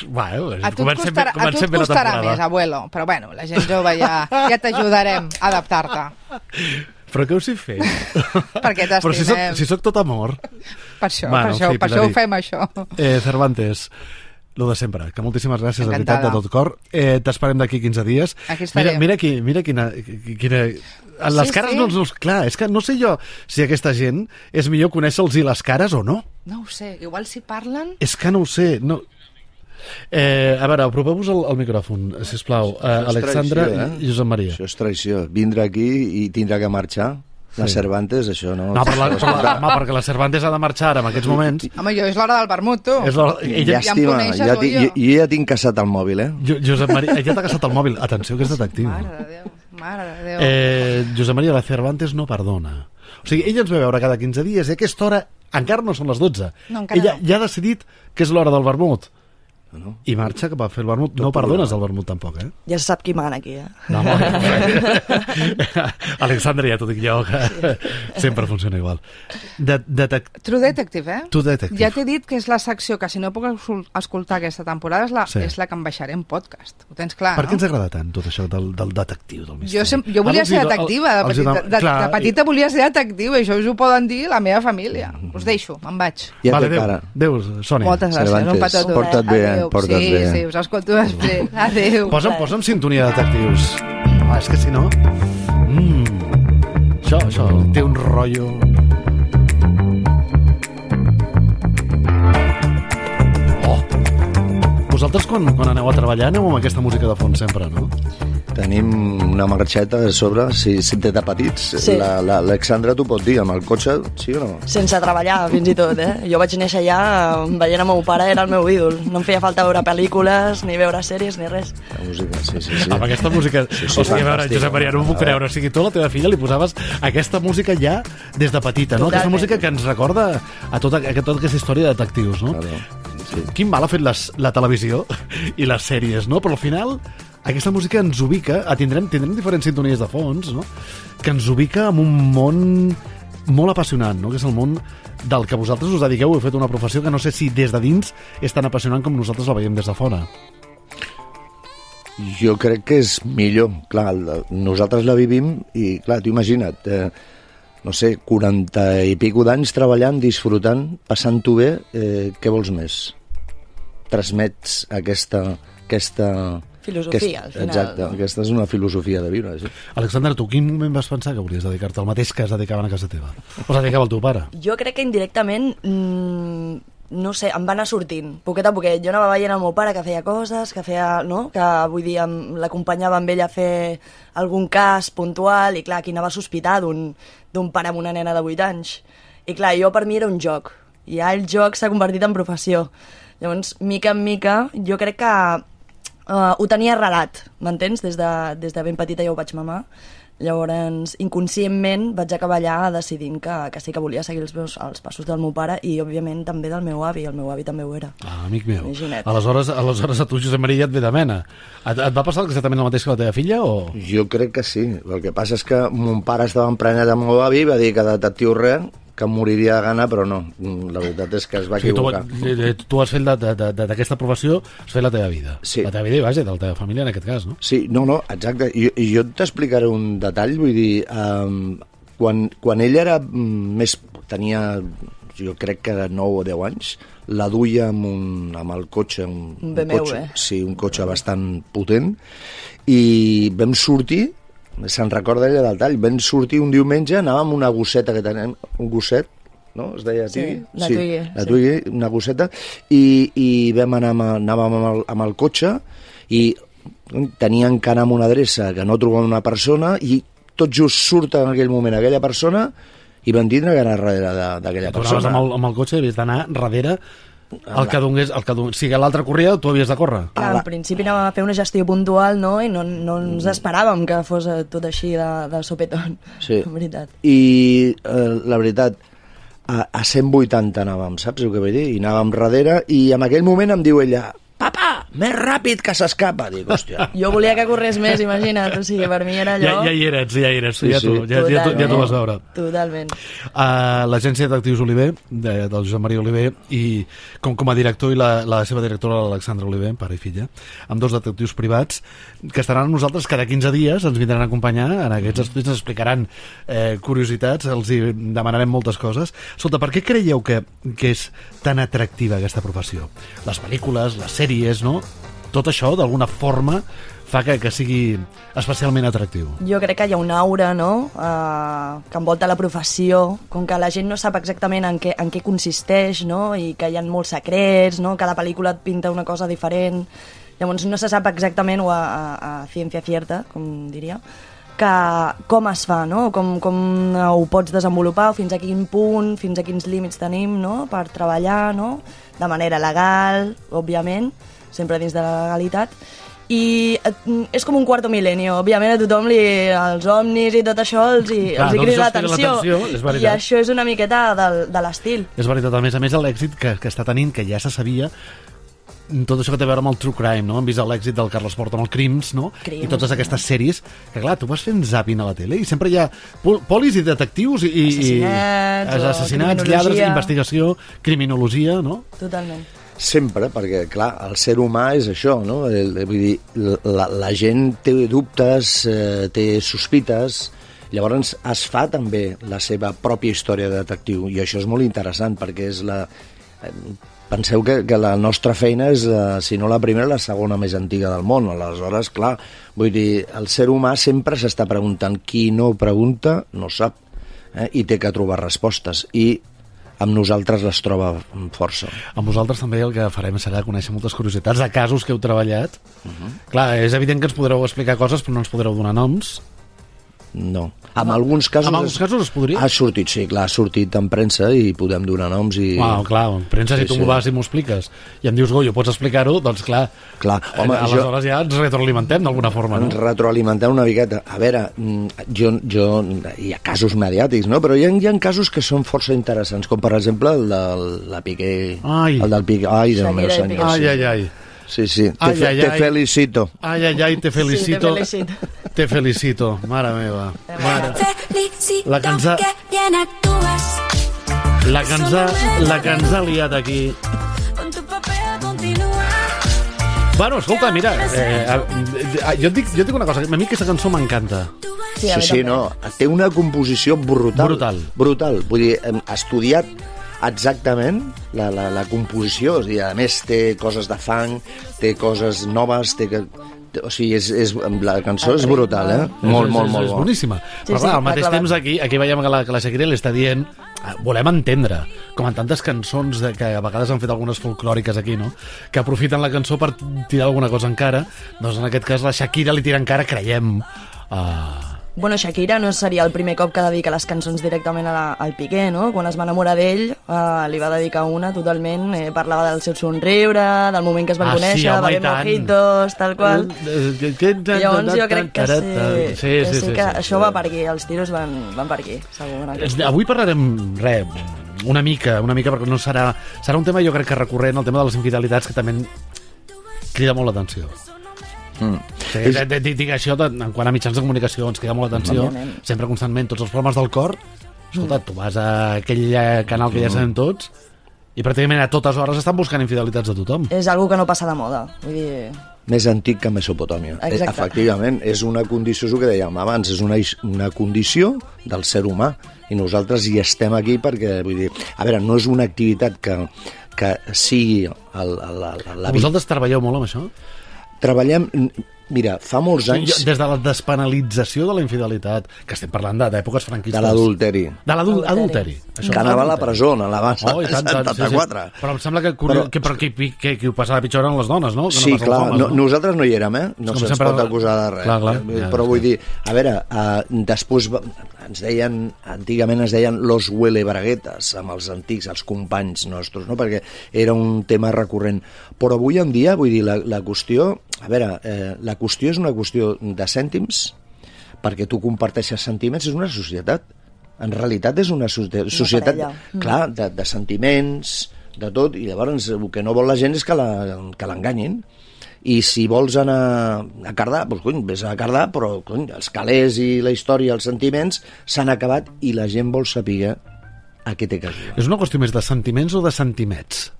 Bueno, a tu et costarà, a tu et costarà més, abuelo, però bueno, la gent jove ja, ja t'ajudarem a adaptar-te. Però què us hi feu? Perquè t'estimem. Però si soc, si soc tot amor. Per això, bueno, per això, fi, per això ho fem, això. Eh, Cervantes, lo de sempre, que moltíssimes gràcies, de veritat, de tot cor. Eh, T'esperem d'aquí quinze dies. Aquí estarem. Mira, mira, qui, mira quina... quina... Les sí, cares sí. no els... Clar, és que no sé jo si aquesta gent és millor conèixer-los i les cares o no. No ho sé, igual si parlen... És que no ho sé, no... Eh, a veure, apropeu-vos el, el micròfon, sisplau. Eh, Alexandra traïció, eh? i Josep Maria. Això és traïció. Vindre aquí i tindrà que marxar. La sí. Cervantes, això no... No, però la, però la, home, perquè la Cervantes ha de marxar ara en aquests moments. Home, jo és l'hora del vermut, tu. És ella... Ja em coneixes, ja jo. jo. Jo ja tinc casat el mòbil, eh? Jo, Josep Maria, ja t'ha casat el mòbil. Atenció, que és detectiu. Mare de Déu, mare de Déu. Eh, Josep Maria, la Cervantes no perdona. O sigui, ella ens ve a veure cada quinze dies i a aquesta hora encara no són les dotze. No, encara ella no. ja ha decidit que és l'hora del vermut. No. I marxa cap a fer el vermut. No perdones el vermut tampoc, eh? Ja se sap qui mana aquí, eh? No, no, Alexandra, ja t'ho dic jo, que sí. sempre funciona igual. De, detect... True Detective, eh? True Detective. Ja t'he dit que és la secció que si no puc escoltar aquesta temporada és la, sí. és la que em baixaré en podcast. Ho tens clar, per no? què ens agrada tant tot això del, del detectiu, del misteri? Jo, sem jo volia ser detectiva, de petita, de, de, de petita volia ser detectiva, i això us ho poden dir la meva família. Us deixo, me'n vaig. Ja vale, té cara. Adéu, Sònia. Moltes gràcies, Cervantes, un petó. Porta't bé, eh? Porta't sí, bé. Sí, us escolto després. Adéu. Posa'm, posa'm sintonia de detectius. Ah, és que si no... Mm. Això, això, té un rotllo... Oh! Vosaltres, quan, quan aneu a treballar, aneu amb aquesta música de fons sempre, no? Tenim una marxeta a sobre, si, si té de petits. Sí. L'Alexandra t'ho pot dir, amb el cotxe, sí o no? Sense treballar, fins i tot, eh? Jo vaig néixer allà, veient el meu pare, era el meu ídol. No em feia falta veure pel·lícules, ni veure sèries, ni res. La música, sí, sí, sí. Amb aquesta música... Sí, sí, o sigui, a veure, fantàstic. Josep Maria, no m'ho puc creure. O sigui, tu a la teva filla li posaves aquesta música ja des de petita, no? Totalment. Aquesta música que ens recorda a tota, a tota aquesta història de detectius, no? Claro. Sí. Quin mal ha fet les, la televisió i les sèries, no? Però al final aquesta música ens ubica, a tindrem, tindrem diferents sintonies de fons, no? Que ens ubica en un món molt apassionant, no? Que és el món del que vosaltres us dediqueu, heu fet una professió que no sé si des de dins és tan apassionant com nosaltres la veiem des de fora. Jo crec que és millor. Clar, la- nosaltres la vivim i, clar, tu imagina't, eh, no sé, quaranta i pico d'anys treballant, disfrutant, passant-ho bé, eh, què vols més? Transmets aquesta... aquesta Filosofia, aquest, al final, Exacte, no? aquesta és una filosofia de viure. Sí. Alexandra, tu quin moment vas pensar que hauries de dedicar-te al mateix que es dedicaven a casa teva? O es dedicava al teu pare? Jo crec que indirectament, mmm, no sé, em va anar sortint, poquet a poquet. Jo anava veient el meu pare que feia coses, que feia, no?, que vull dir, em- l'acompanyava amb ell a fer algun cas puntual, i clar, aquí anava a sospitar d'un d'un pare amb una nena de vuit anys. I clar, jo per mi era un joc, i ja el joc s'ha convertit en professió. Llavors, mica en mica, jo crec que uh, ho tenia arrelat, m'entens? Des, de, des de ben petita ja ho vaig mamar. Llavors, inconscientment vaig acabar allà decidint que, que sí que volia seguir els, meus, els passos del meu pare i, òbviament, també del meu avi. El meu avi també ho era. Ah, amic meu. Imagina't. Aleshores, aleshores a tu, Josep Maria, et ve de mena. Et, et va passar exactament el mateix que la teva filla, o...? Jo crec que sí. El que passa és que mon pare estava emprenyat amb el meu avi i va dir que detectiu res, que em moriria de gana, però no. La veritat és que es va O sigui, tu, equivocar. eh, tu has fet de- de- de- d'aquesta professió, has fet la teva vida. Sí. La teva vida i, vaja, de la teva família, en aquest cas, no? Sí, no, no, exacte. I, i jo t'explicaré un detall, vull dir, um, quan, quan ell era mm, més... tenia, jo crec que nou o deu anys, la duia amb, un, amb el cotxe, un, Un B M W. cotxe, sí, un cotxe bastant potent, i vam sortir, se'n recorda ella del tall, vam sortir un diumenge, anàvem amb una gosseta que tenim, un gosset, no? Es deia Sí, Tigui? la Twiggy, la sí. Twiggy, una gosseta, i, i vam anar amb, anàvem amb el, amb el cotxe i tenien que anar a una adreça que no trobàvem una persona i tot just surt en aquell moment aquella persona i vam tindre que anar darrere de- d'aquella Tu anaves persona. amb el, amb el cotxe i havies d'anar darrere el que donés... El que donés. Si l'altre corria, tu havies de córrer. Clar, la- al principi anàvem a fer una gestió puntual, no?, i no, no ens esperàvem que fos eh, tot així de, de sopetón. Sí. En veritat. I eh, la veritat, a, a cent vuitanta anàvem, saps el que vull dir? I anàvem darrere i en aquell moment em diu ella, papa, més ràpid que s'escapa. Dic, hòstia. Jo volia que corrés més, imagina't, o sigui, per mi era Ja, allò... ja hi eres, ja hi eres. Sí, ja, sí. tu, ja, ja, tu, ja t'ho vas veure. Totalment. Uh, l'agència de detectius Oliver, de, del Josep Maria Oliver, i com, com a director i la, la seva directora, l'Alexandra Oliver, pare i filla, amb dos detectius privats, que estaran amb nosaltres cada quinze dies, ens vindran a acompanyar en aquests estudis, ens explicaran eh, curiositats, els hi demanarem moltes coses. Escolta, per què creieu que, que és tan atractiva aquesta professió? Les pel·lícules, les sèries, no? Tot això, d'alguna forma, fa que, que sigui especialment atractiu. Jo crec que hi ha una aura, no?, uh, que envolta la professió, com que la gent no sap exactament en què, en què consisteix, no?, i que hi ha molts secrets, no?, cada pel·lícula et pinta una cosa diferent, llavors no se sap exactament, o a, a, a ciència cierta, com diria, que com es fa, no?, com, com ho pots desenvolupar, o fins a quin punt, fins a quins límits tenim, no?, per treballar, no?, de manera legal, òbviament, sempre dins de la legalitat, i és com un quarto milenio. Òbviament a tothom li, els omnis i tot això els hi, Clar, els hi doncs crida els crida l'atenció, l'atenció, és veritat. i això és una miqueta del, de l'estil. És veritat, a més a més, l'èxit que, que està tenint, que ja se sabia, tot això que té a veure amb el true crime, no? Hem vist l'èxit del Carles Porta amb el Crims, no? Crims, I totes aquestes sèries, que clar, tu vas fent zapping a la tele i sempre hi ha pol polis i detectius i... i Assassinats, i, o assassinats, criminologia. lladres, investigació, criminologia, no? Totalment. Sempre, perquè, clar, el ser humà és això, no? El, vull dir, la, la gent té dubtes, eh, té sospites, llavors es fa també la seva pròpia història de detectiu, i això és molt interessant, perquè és la... Eh, penseu que, que la nostra feina és, eh, si no la primera, la segona més antiga del món. Aleshores, clar, vull dir, el ser humà sempre s'està preguntant. Qui no pregunta no sap, eh? I té que trobar respostes. I amb nosaltres les troba força. Amb vosaltres també el que farem serà conèixer moltes curiositats de casos que heu treballat. Uh-huh. Clar, és evident que ens podreu explicar coses, però no ens podreu donar noms. No. En alguns casos... En alguns casos es podria? Ha sortit, sí, clar, ha sortit en premsa i podem donar noms i... Wow, clar, en premsa, si sí, tu sí. m'ho vas i m'ho expliques i em dius, Goyo, pots explicar-ho? Doncs clar, clar home, aleshores jo... ja ens retroalimentem d'alguna forma, no? Ens retroalimentem una miqueta. A veure, jo, jo, hi ha casos mediàtics, no? Però hi ha, hi ha casos que són força interessants, com per exemple el de la Piqué... Ai. El del Piqué... Ai, Déu meu senyor. Ai, ai, ai. Sí, sí, te, ai, ai, te ai. felicito. Ai, ai, ai, te felicito. Sí, te felicito. Te felicito, mare meva. Mare. La que ens ha... La que ens ha, la que ens ha liat aquí. Bueno, escolta, mira, eh, eh, jo, et dic, jo et dic una cosa, a mi aquesta cançó m'encanta. Sí, sí, sí, no, té una composició brutal. Brutal. Brutal, vull dir, hem estudiat exactament la, la, la composició, o sigui, a més té coses de fang, té coses noves, té que... O sigui, és, és, la cançó és brutal, eh? Molt, és, molt, és, molt és bo. boníssima. Sí, Però clar, sí, al mateix clar, temps aquí, aquí veiem que la, que la Shakira li està dient volem entendre, com en tantes cançons de, que a vegades han fet algunes folclòriques aquí, no? Que aprofiten la cançó per tirar alguna cosa encara, doncs en aquest cas la Shakira li tira encara, creiem... Uh... Bueno, Shakira no seria el primer cop que dedica les cançons directament a la, al Piqué, no? Quan es va enamorar d'ell, eh, li va dedicar una totalment, eh, parlava del seu somriure, del moment que es van ah, conèixer, sí, home, va haver mojitos, tal qual. I llavors jo crec que sí, sí, sí, sí, sí, que sí, això sí. va per aquí, els tiros van, van per aquí, segur. Avui parlarem, res, una mica, una mica, perquè no serà... Serà un tema, jo crec que recurrent, el tema de les infidelitats, que també crida molt l'atenció. Mm. Sí, és... Dic això, en quant a mitjans de comunicació ens queda molt l'atenció, sempre constantment, tots els problemes del cor. Escolta, tu vas a aquell canal que ja sabem tots i pràcticament a totes hores estan buscant infidelitats de tothom. És algo que no passa de moda, vull dir... Més antic que Mesopotàmia. Exacte. Efectivament, és una condició, és el que dèiem abans, és una, una condició del ser humà i nosaltres hi estem aquí perquè, vull dir, a veure, no és una activitat que, que sigui el, el, el, la... Vosaltres treballeu molt amb això? Treballem, mira, fa molts anys... Sí, des de la despenalització de la infidelitat, que estem parlant d'èpoques franquistes. De l'adulteri. De l'adulteri. Que anava a la presó, a la base oh, tant, setanta-quatre. Sí, sí. Però em sembla que, però, que, que, que, que, que ho passava pitjor eren les dones, no? Que sí, no clar, homes, no, nosaltres no hi érem, eh? No se'ns sempre... pot acusar de res. Clar, clar, eh? ja, però ja, vull dir, a veure, uh, després ens deien, antigament es deien los huele braguetas, amb els antics, els companys nostres, no? Perquè era un tema recurrent. Però avui en dia, vull dir, la, la qüestió... A veure, eh, la qüestió és una qüestió de cèntims, perquè tu comparteixes sentiments, és una societat. En realitat és una societat, una clar, de, de sentiments, de tot, i llavors el que no vol la gent és que l'enganyin. I si vols anar a Cardà, doncs cony, vés a Cardà, però cony, els calés i la història, els sentiments s'han acabat i la gent vol saber a què té que jugar. És una qüestió més de sentiments o de sentimets?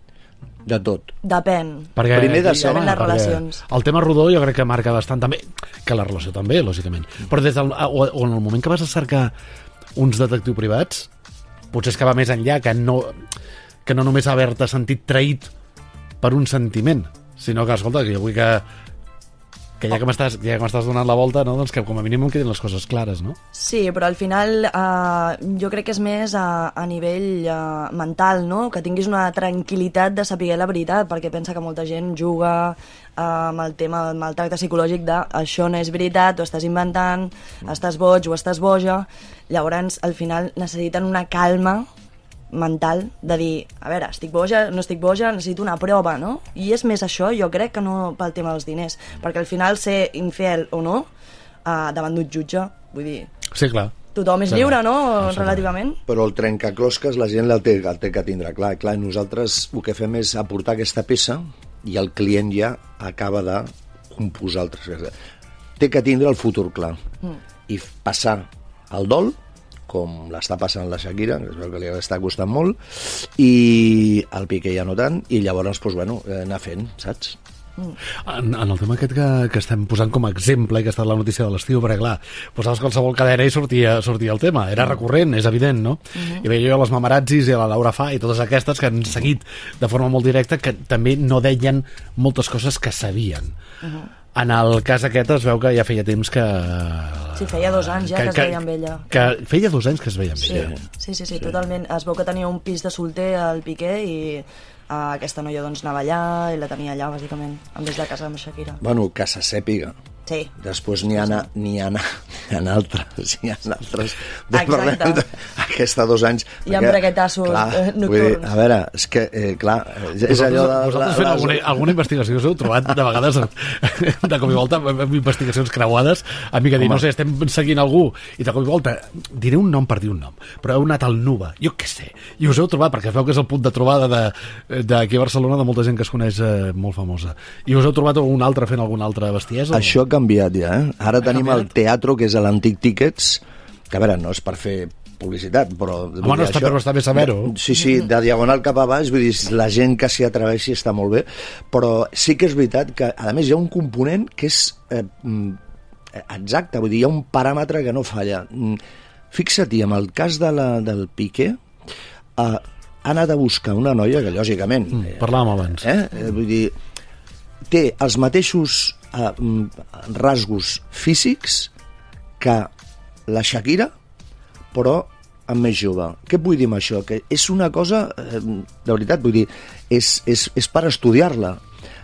De tot. Depèn. Perquè, primer de saber les relacions. El tema rodó jo crec que marca bastant també, que la relació també, lògicament. Però des del, o, o en el moment que vas a cercar uns detectius privats, potser és que va més enllà, que no, que no només haver-te sentit traït per un sentiment, sinó que, escolta, que jo vull que que ja que m'estàs ja que m'estàs donant la volta, no? Doncs que com a mínim em quedin les coses clares, no? Sí, però al final eh, jo crec que és més a, a nivell eh, mental, no? Que tinguis una tranquil·litat de saber la veritat, perquè pensa que molta gent juga eh, amb el tema del maltracte psicològic de això no és veritat, ho estàs inventant, estàs boig o estàs boja. Llavors, al final necessiten una calma mental de dir, a veure, estic boja, no estic boja, necessito una prova, no? I és més això, jo crec, que no pel tema dels diners, perquè al final ser infidel o no uh, davant d'un jutge, vull dir... Sí, clar. Tothom és sí, lliure, no? Sí, Relativament. Però el trencaclosques la gent el té, el té que tindre clar. Clar, nosaltres el que fem és aportar aquesta peça i el client ja acaba de composar altres coses. Té que tindre el futur clar mm. i passar el dol, com l'està passant la Shakira, que es veu que li està costant molt, i el Piqué ja no tant, i llavors, doncs, bueno, anar fent, saps? En, en el tema aquest que, que estem posant com a exemple i que ha estat la notícia de l'estiu, perquè clar, posaves qualsevol cadena i sortia, sortia el tema, era recurrent, és evident, no? Uh-huh. I veia jo les Mamarazzis i la Laura Fa i totes aquestes que han seguit de forma molt directa, que també no deien moltes coses que sabien. Uh-huh. En el cas aquest es veu que ja feia temps que... Sí, feia dos anys ja que, que, que es veia amb ella. Que feia dos anys que es veia amb sí. ella. Sí, sí, sí, sí, totalment. Es veu que tenia un pis de solter al Piqué i uh, aquesta noia doncs anava allà i la tenia allà, bàsicament, en vez de casa amb Shakira. Bueno, que se sàpiga. Sí. Després n'hi ha, n'hi ha, n'hi ha altres, n'hi ha altres. Exacte. Aquesta dos anys... I amb braguetassos nocturns. Dir, a veure, és que, eh, clar, és vosaltres, allò de... Vosaltres fent alguna, alguna investigació us heu trobat de vegades de cop i volta amb investigacions creuades, a mi que dir, no sé, estem seguint algú i de cop i volta diré un nom per dir un nom, però heu anat al Nuba, jo què sé, i us heu trobat, perquè es veu que és el punt de trobada d'aquí a Barcelona de molta gent que es coneix eh, molt famosa, i us heu trobat un altre fent alguna altra bestiesa? Això ha canviat ja, eh? Ara tenim el teatro, que és l'antic Tickets, que a veure, no és per fer publicitat, però... Home, no està, però està bé saber-ho. Sí, sí, de diagonal cap a baix, vull dir, la gent que s'hi atreveixi està molt bé, però sí que és veritat que, a més, hi ha un component que és eh, exacte, vull dir, hi ha un paràmetre que no falla. Fixa't-hi, en el cas de la, del Piqué, eh, ha anat a buscar una noia que, lògicament... Mm, parlàvem abans. Eh, eh, vull dir, té els mateixos eh, rasgos físics que la Shakira, però amb més jove. Què vull dir amb això? Que és una cosa, eh, de veritat, vull dir, és, és, és per estudiar-la.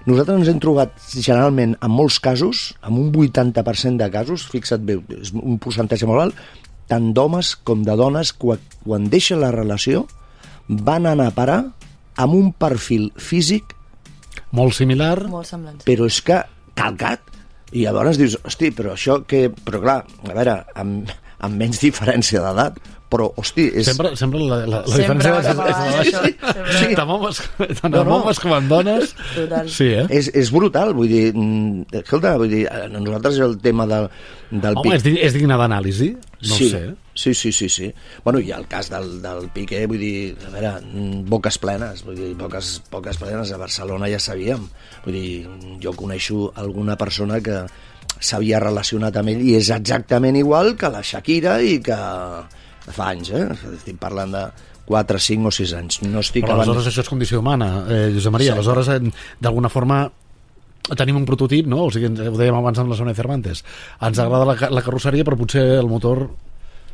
Nosaltres ens hem trobat generalment, en molts casos, amb un vuitanta per cent de casos, fixa't bé, és un percentatge molt alt, tant d'homes com de dones, quan, quan deixen la relació, van anar a parar amb un perfil físic molt similar, molt semblant, sí. Però és que calcat, i llavors dius, hosti, però això que... Però clar, a veure, amb, amb menys diferència d'edat, però, hosti... És... Sempre, sempre la, la, la sempre diferència és, és, és, és, és, és, sí. Tant homes, tant no, no. homes com en dones. Total. Sí, eh? És, és brutal, vull dir... Escolta, vull dir, nosaltres el tema del, del Home, Piqué... és digne d'anàlisi? No sí, ho sé. Sí, sí, sí, sí. Bueno, i el cas del, del Piqué, vull dir, a veure, boques plenes, vull dir, poques, poques plenes, a Barcelona ja sabíem. Vull dir, jo coneixo alguna persona que s'havia relacionat amb ell i és exactament igual que la Shakira i que fa anys, eh? Estic parlant de quatre, cinc o sis anys. No estic Però abans... aleshores això és condició humana, eh, Josep Maria. Sí. Aleshores, d'alguna forma, tenim un prototip, no? O sigui, ho dèiem abans amb la Sonia Cervantes. Ens agrada la, la carrosseria, però potser el motor...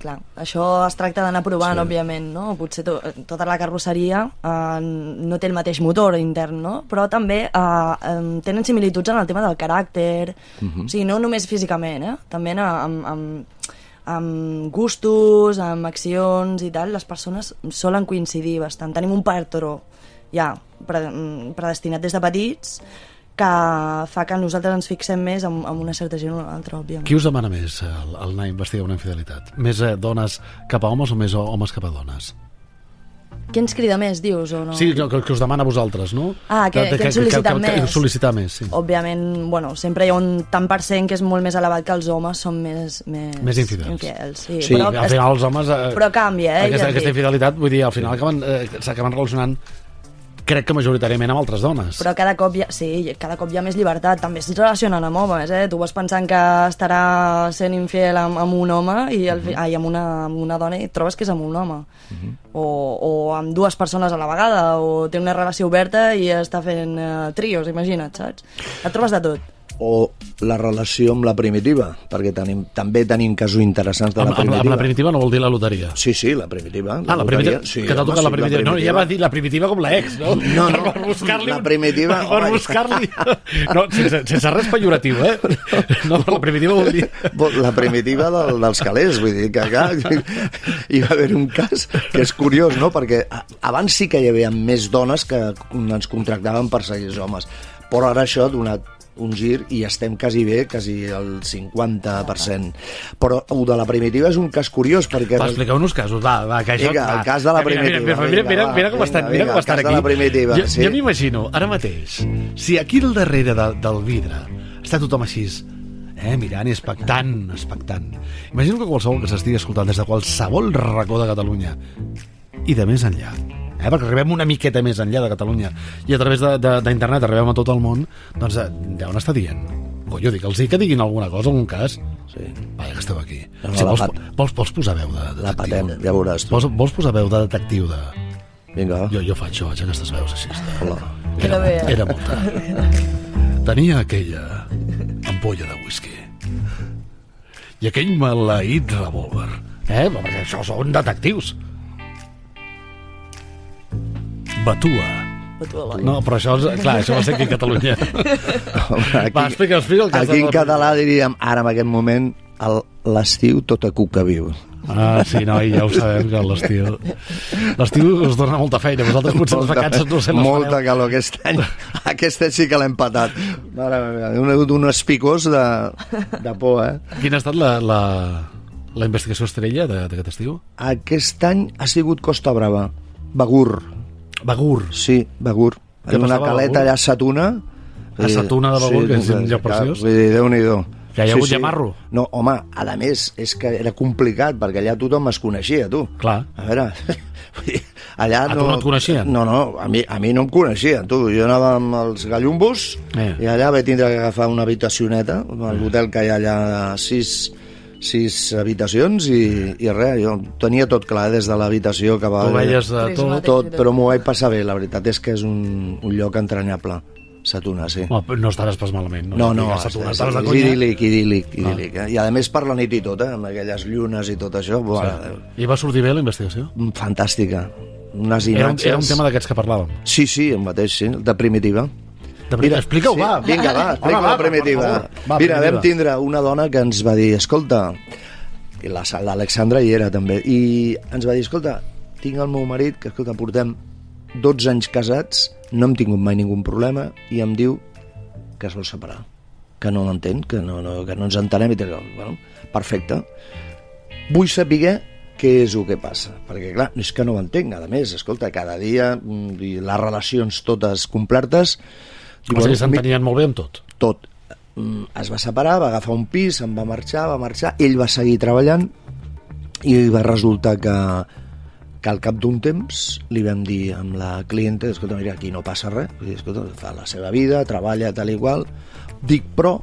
Clar, això es tracta d'anar provant, sí. òbviament, no? Potser to tota la carrosseria eh, no té el mateix motor intern, no? Però també eh, eh, tenen similituds en el tema del caràcter, uh-huh. O sigui, no només físicament, eh? També amb, amb, amb gustos, amb accions i tal, les persones solen coincidir bastant. Tenim un patró ja predestinat des de petits que fa que nosaltres ens fixem més en, en una certa gent o una altra, òbviament. Qui us demana més el, el anar a investigar una infidelitat? Més eh, dones cap a homes o més homes cap a dones? Qui ens crida més, dius, o no? Sí, que, que us demana a vosaltres, no? Ah, que, que, que ens sol·licita més. Que, que sol·licitar més, sí. Òbviament, bueno, sempre hi ha un tant per cent que és molt més elevat que els homes són més... Més, més infidels. infidels sí. Sí, però, al final els homes... Eh, però canvia, eh? Aquesta, ja aquesta infidelitat, vull dir, al final acaben, eh, s'acaben relacionant crec que majoritàriament amb altres dones. Però cada cop hi ha, sí, cada cop hi ha més llibertat. També es relacionen amb homes, eh? Tu vas pensant que estarà sent infiel amb, amb un home i el, uh-huh. ai, amb, una, amb una dona i et trobes que és amb un home. Uh-huh. o, o amb dues persones a la vegada, o té una relació oberta i està fent uh, trios, imagina't, saps? Et trobes de tot. O la relació amb la primitiva, perquè tenim, també tenim casos interessants de la amb, primitiva. Amb la primitiva no vol dir la loteria? Sí, sí, la primitiva. La ah, la primitiva, sí, que t'ha tocat home, la primitiva. Sí, la primitiva. No, ja va dir la primitiva com l'ex, no? No, no, per buscar-li... la primitiva... Per buscar-li... No, sense, sense res pejoratiu, eh? No, la primitiva vol dir... La primitiva del, dels calés, vull dir que acá hi va haver un cas que és curiós, no? Perquè abans sí que hi havia més dones que ens contractaven per seguir els homes, però ara això ha donat un gir i estem quasi bé, quasi el cinquanta per cent. Però el de la primitiva és un cas curiós perquè... Va, expliqueu-nos casos, va, va, que això... Vinga, el cas de la primitiva. Mira, mira, mira, mira, mira com estan, mira com estan aquí. Jo, sí. jo m'imagino, ara mateix, si aquí al darrere de, del vidre està tothom així, eh, mirant i expectant, expectant. Imagino que qualsevol que s'estigui escoltant des de qualsevol racó de Catalunya i de més enllà, eh, perquè arribem una miqueta més enllà de Catalunya i a través d'internet arribem a tot el món, doncs deuen estar dient. Jo dic, els dic que diguin alguna cosa, algun cas. Sí. Vaja, que esteu aquí. No, no, si vols, pat... vols, vols posar veu de detectiu? La patem, ja veuràs tu. Vols, vols posar veu de detectiu de... Vinga. Jo, jo faig, jo faig aquestes veus així. De... Hola. Era, bé, eh? era molta. Tenia aquella ampolla de whisky i aquell maleït revòlver. Eh? Perquè això són detectius. Batua. No, però això, és, clar, això va ser aquí a Catalunya. Home, aquí, va, explica, explica el cas. Aquí en català diríem, ara en aquest moment, l'estiu tota cuca viu. Ah, sí, no, i ja ho sabem, que l'estiu... L'estiu us dona molta feina. Vosaltres potser les vacances no sé les Molta fareu. calor. Aquest any, aquest any sí que l'hem patat. Mare meva, un, un espicós de, de por, eh? Quina ha estat la, la, la investigació estrella d'aquest estiu? Aquest any ha sigut Costa Brava. Begur. Begur. Sí, Begur. Què En una passava a caleta Begur? allà a Satuna. A Satuna de Begur, que és un lloc preciós. Vull dir, Déu-n'hi-do. Que hi ha hagut llamarro. No, home, a més, és que era complicat, perquè allà tothom es coneixia, tu. Clar. A veure, allà A no... tu no et coneixien? No, no, a mi, a mi no em coneixien, tu. Jo anava amb els gallumbos Eh. i allà vaig tindre que agafar una habitacioneta, a l'hotel que hi ha allà sis, sis habitacions i, i res, jo tenia tot clar, des de l'habitació que va... Tu veies de tot. Tot, però m'ho vaig passar bé, la veritat és que és un, un lloc entranyable. Satuna, sí. Home, no estaves pas malament. No, no, Satuna, és, estaves de és conya. idíl·lic, idíl·lic, idíl·lic. Eh? I a més per la nit i tot, eh? Amb aquelles llunes i tot això. Buah, Sí. I va sortir bé la investigació? fantàstica. Unes Era un, imatges... era un tema d'aquests que parlàvem. Sí, sí, el mateix, sí, de primitiva. De Mira, Explica-ho, sí, va. Vinga, va, explica Home, va, la primitiva. per favor. Va, Mira, primitiva. vam tindre una dona que ens va dir, escolta, i la- l'Alexandra hi era també, i ens va dir, escolta, tinc el meu marit, que escolta, portem dotze anys casats, no hem tingut mai ningun problema, i em diu que es vol separar, que no l'entén, que no, no, que no ens entenem i tal. Bueno, perfecte. Vull saber què és el que passa, perquè clar, és que no ho entenc, a més, escolta, cada dia mm, i les relacions totes complertes, i, O sigui, bueno, s'entenien molt bé amb tot. tot. Mm, Es va separar, va agafar un pis, se'n va marxar, va marxar, ell va seguir treballant i va resultar que, que al cap d'un temps li vam dir amb la clienta, escolta, mira, aquí no passa res, vull dir, escolta, fa la seva vida, treballa tal i qual, dic, però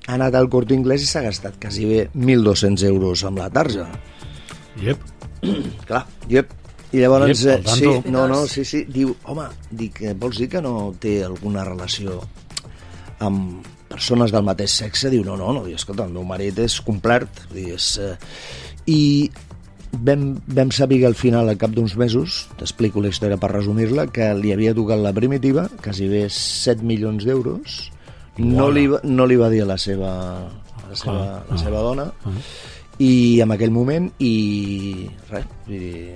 ha anat al Corte Inglés i s'ha gastat quasi bé mil dos-cents euros amb la tarja. Yep. Clar, yep. I llavors, Yep, eh, al sí, tanto. no, no, sí, sí, diu, home, dic, eh, vols dir que no té alguna relació amb persones del mateix sexe? Diu, no, no, no, diu, escolta, el meu marit és complet, vull dir, és... Eh... I vam, vam saber al final, al cap d'uns mesos, t'explico la història per resumir-la, que li havia tocat la primitiva, quasi bé set milions d'euros, no, li, va- no li va dir a la seva, a la seva, Clar. la seva dona, Ah. i en aquell moment i res, vull dir,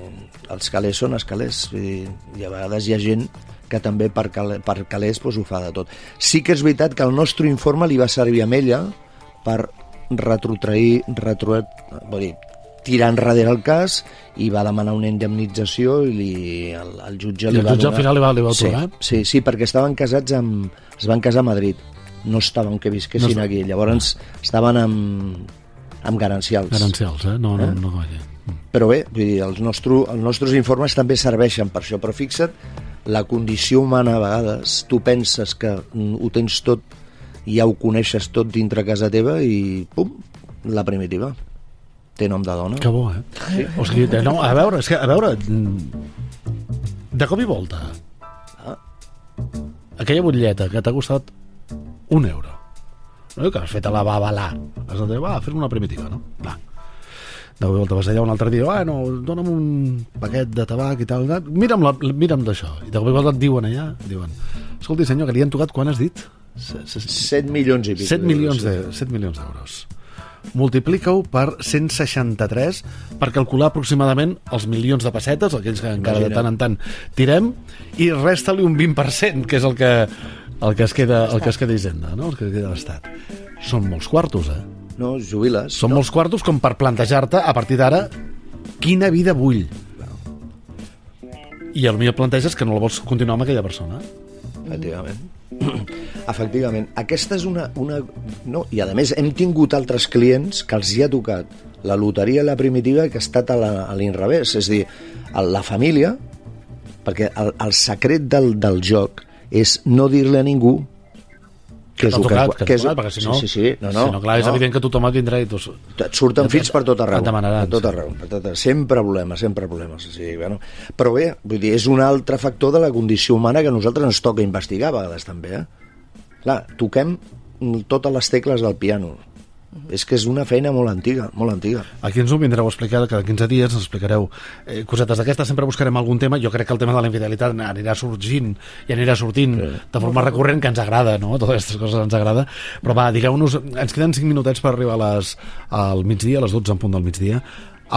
els calés són els calés, vull dir, i a vegades hi ha gent que també per, cal, per calés doncs, ho fa de tot. Sí que és veritat que el nostre informe li va servir a ella per retrotrair, retro, vull dir, tirar enrere el cas i va demanar una indemnització i li, el, el jutge I li el va jutge al donar... final li va- li va sí, atorgar? sí, sí, perquè estaven casats amb... es van casar a Madrid, no estaven que visquessin No es- aquí, llavors estaven amb, amb garancials. Garancials, eh? No, no, Eh? no, no, no. Però bé, vull dir, els, nostre, els nostres informes també serveixen per això, però fixa't, la condició humana a vegades, tu penses que mm, ho tens tot i ja ho coneixes tot dintre casa teva i pum, la primitiva. Té nom de dona. Que bo, eh? Sí. O sigui, no, a veure, és que, a veure, mm, de cop i volta, Ah. aquella butlleta que t'ha costat un euro, no? Que has fet a la babalà, has de dir, va, fes una primitiva, no? Va. De cop i volta vas allà un altre dia, ah, no, dona'm un paquet de tabac i tal, mira'm, la, mira'm d'això. I de cop i volta et diuen allà, diuen, escolti senyor, que li han tocat, quan has dit? set milions i pico. set milions de, set milions d'euros. Multiplica-ho per cent seixanta-tres per calcular aproximadament els milions de pessetes, aquells que encara de tant en tant tirem, i resta-li un vint per cent, que és el que, el que es queda, el que es queda Hisenda, no? El que queda l'Estat. Són molts quartos, eh? No, jubiles. Són no. molts quartos com per plantejar-te, a partir d'ara, quina vida vull. I potser et planteges que no la vols continuar amb aquella persona. Efectivament. Efectivament. Aquesta és una, una... No, i a més hem tingut altres clients que els hi ha tocat la loteria i la primitiva que ha estat a la- a l'inrevés. És a dir, a la família, perquè el, el secret del, del joc és no dir-li a ningú que és t'ha el tocat, que, que és, t'ha tocat, perquè si no, sí, sí, sí, no, no, si no, clar, és no. evident que tothom et vindrà i tu... Et surten Ja fills per tot arreu, et demanaran, per tot sí. arreu, per tot arreu. Sempre problemes, sempre problemes. O sigui, bueno. Però bé, vull dir, és un altre factor de la condició humana que a nosaltres ens toca investigar a vegades també, eh? Clar, toquem totes les tecles del piano. És que és una feina molt antiga, molt antiga. Aquí ens ho vindreu a explicar cada quinze dies, ens explicareu eh, cosetes d'aquestes, sempre buscarem algun tema. Jo crec que el tema de la infidelitat anirà sorgint i anirà sortint sí. de forma recurrent, que ens agrada, no? Totes aquestes coses ens agrada. Però va, digueu-nos, ens queden cinc minutets per arribar a les, al migdia, a les dotze en punt del migdia.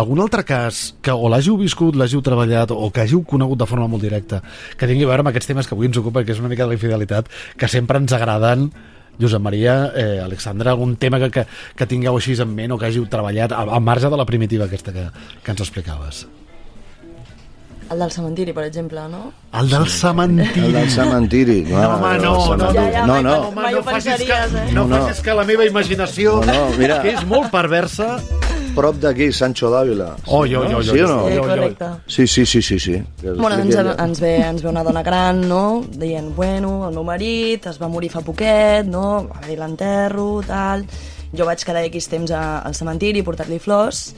Algun altre cas que o l'hàgiu viscut, l'hàgiu treballat o que hàgiu conegut de forma molt directa, que tingui a veure amb aquests temes que avui ens ocupen, que és una mica de la infidelitat, que sempre ens agraden. Josep Maria, eh, Alexandra, algun tema que, que, que tingueu així en ment o que hàgiu treballat al, al marge de la primitiva aquesta que, que ens explicaves? El del cementiri, per exemple, no? El del cementiri. El del cementiri. No, home, no, no, Ja, ja, no, mai, no. mai, mai ho pensaries, eh? No, No, no. facis que la meva imaginació, No, no, mira. que és molt perversa... Prop d'aquí, Sancho d'Àvila. Oi, oi, oi, Sí o no? Sí, oi, oi, oi. correcte. Sí, sí, sí, sí, sí. Que Bueno, ens, expliqui ella. ens, ve, ens ve una dona gran, no?, dient, bueno, el meu marit es va morir fa poquet, no?, va haver-hi l'enterro, tal... Jo vaig quedar X temps a, al cementiri, portar-li flors,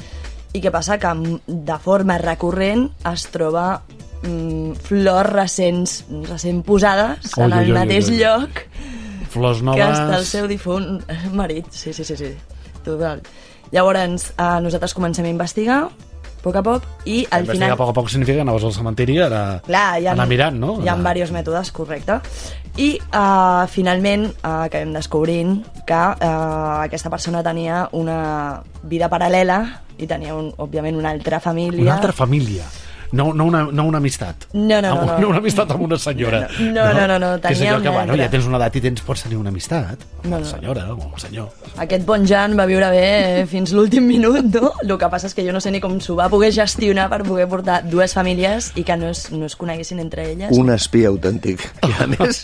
i què passa? Que m- de forma recurrent es troba mm, flors recents, recent posades Oi, en oi, el oi, mateix oi, oi. lloc Flors que noves... està el seu difunt marit. Sí, sí, sí, sí. Total. Llavors, eh, nosaltres comencem a investigar, a poc a poc, i al Investigar final... a poc a poc significa que anaves al cementiri a, Clar, hi ha, anar mirant, no? Hi ha Anar- diversos mètodes, correcte. I uh, finalment uh, acabem descobrint que uh, aquesta persona tenia una vida paral·lela i tenia, un, òbviament, una altra família. Una altra família. No, no, una, no una amistat. No, no, no, Amb- no. una amistat amb una senyora. No, no, no, no, Que és tenia allò que, una bueno, altra. ja tens una edat i tens, pots tenir una amistat. Amb No, una no. senyora o un senyor. Aquest bon Jan va viure bé eh, fins l'últim minut, no? El que passa és que jo no sé ni com s'ho va poder gestionar per poder portar dues famílies i que no es, no es coneguessin entre elles. Un espia autèntic. I a més,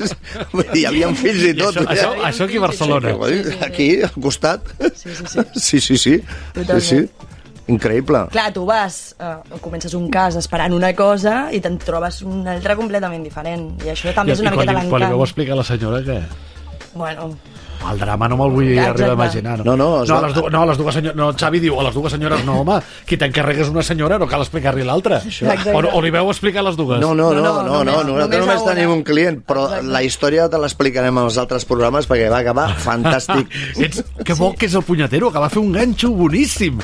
vull dir, hi havia fills i I tot. això, això, això aquí a Barcelona. Sí, sí, sí. Aquí, al costat. Sí, sí, sí. Sí, sí, sí. Totalment. Sí, sí. Increïble. Clar, tu vas, eh, comences un cas esperant una cosa i te'n trobes una altra completament diferent. I això també és una I quan, miqueta li, quan li veu l'encant. explicar a la senyora que... Bueno, El drama no me'l vull Exacte. arribar a imaginar. No, no, es no, va- a les, du no, a les dues senyores... No, Xavi diu, a les dues senyores no, home, qui t'encarrega és una senyora, no cal explicar-li l'altra. Exacte. O, o li veu explicar a les dues. No, no, no, No, no, no, no, només- nosaltres només només a una. tenim un client, però Exacte. la història te l'explicarem als altres programes perquè va acabar fantàstic. Ets, que bo que és el punyetero, que va fer un ganxo boníssim.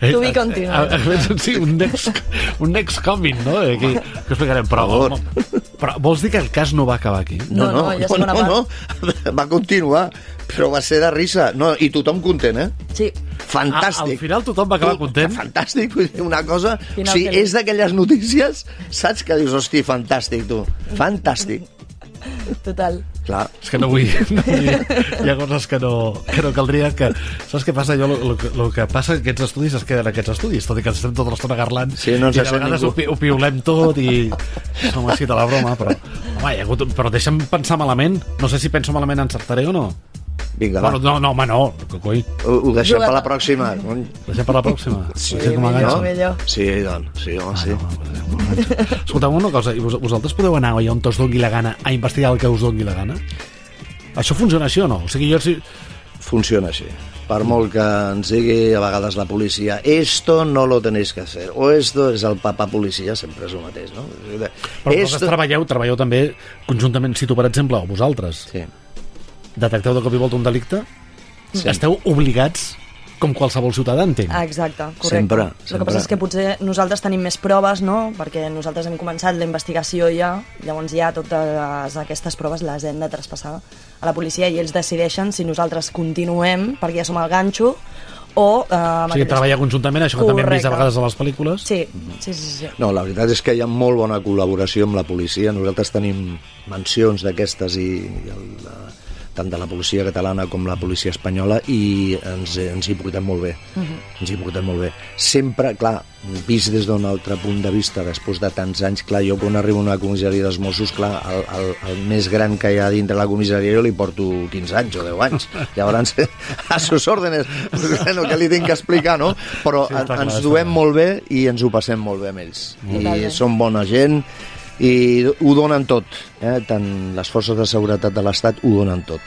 To be continued. Eh, eh, eh, Sí, un next, un next coming, no? Aquí, que explicarem. Però, Per favor. home, però vols dir que el cas no va acabar aquí? No, no, hi ha segona no, no, va continuar, però va ser de risa. No, i tothom content, eh? sí. A- Fantàstic. al final tothom va acabar Tu- content? Fantàstic, vull dir, una cosa... Final sí, feliç. és d'aquelles notícies, saps, que dius, hosti, fantàstic, tu. Fantàstic. Total. Clar. És que no vull, no vull... Hi ha coses que no, que no caldria que... Saps què passa? Jo, el que, lo que passa que aquests estudis es queden aquests estudis, tot i que ens estem tota l'estona garlant, Sí, no ens i de sent vegades ningú. ho, pi- ho piulem tot i som així de la broma, però... Home, hi ha hagut... però deixa'm pensar malament. No sé si penso malament encertaré o no. Vinga, va. Bueno, no, no, home, no. Que coi. Ho, ho deixem Juga- per la pròxima. cony. Deixem per la pròxima. Sí, Deixem com a millor, ganxo. millor. Sí, doncs, sí, home, sí. Escolteu una cosa, i vos, vosaltres podeu anar allà on us dongui la gana a investigar el que us dongui la gana? Això funciona així o no? O sigui, jo... Si... Funciona així. Per molt que ens digui a vegades la policia, esto no lo tenéis que hacer, o esto és el papa policia, sempre és el mateix, no? Però vosaltres treballeu, treballeu també conjuntament, si tu, per exemple, o vosaltres, Sí. detecteu de cop i volta un delicte, sí. Esteu obligats, com qualsevol ciutadà, entenc. Exacte, correcte. Sempre, El que sempre. passa és que potser nosaltres tenim més proves, no?, perquè nosaltres hem començat la investigació ja, llavors ja totes aquestes proves les hem de traspassar a la policia i ells decideixen si nosaltres continuem, perquè ja som al ganxo, o... Eh, O sigui, treballar conjuntament, això que també hem vist a Correcte. vegades a les pel·lícules. Sí, sí, sí, sí. No, la veritat és que hi ha molt bona col·laboració amb la policia. Nosaltres tenim mencions d'aquestes i, i el, la, tant de la policia catalana com la policia espanyola i ens, ens hi portem molt bé. Uh -huh. Ens hi portem molt bé. Sempre, clar, vist des d'un altre punt de vista, després de tants anys, clar, jo quan arribo a una comissaria dels Mossos, clar, el, el, el més gran que hi ha dintre la comissaria jo li porto quinze anys o deu anys. Llavors, a sus órdenes, bueno, que li tinc que explicar, no? Però Sí, sí, està clar, ens està duem clar. molt bé i ens ho passem molt bé amb ells. Totalment. I són bona gent, i ho donen tot, eh? Tant les forces de seguretat de l'Estat ho donen tot.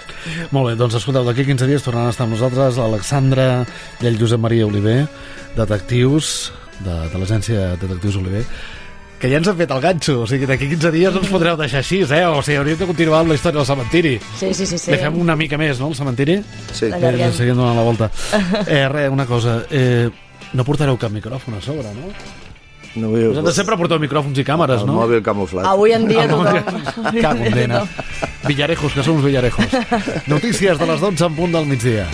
Molt bé, doncs escolteu, d'aquí quinze dies tornaran a estar amb nosaltres l'Alexandra i el Josep Maria Oliver, detectius de, de l'agència Detectius Oliver, que ja ens han fet el ganxo, o sigui, d'aquí quinze dies no ens podreu deixar així, eh? O sigui, hauríem de continuar amb la història del cementiri. Sí, sí, sí. sí. Li fem una mica més, no, el cementiri? Sí. Eh, seguim donant la volta. Eh, res, una cosa, eh, no portareu cap micròfon a sobre, no? No vull... Vosaltres sempre porteu micròfons i càmeres, el no? El mòbil camuflat. Avui en dia Ah, tothom... Que condena. Villarejos, que som uns villarejos. Notícies de les dotze en punt del migdia.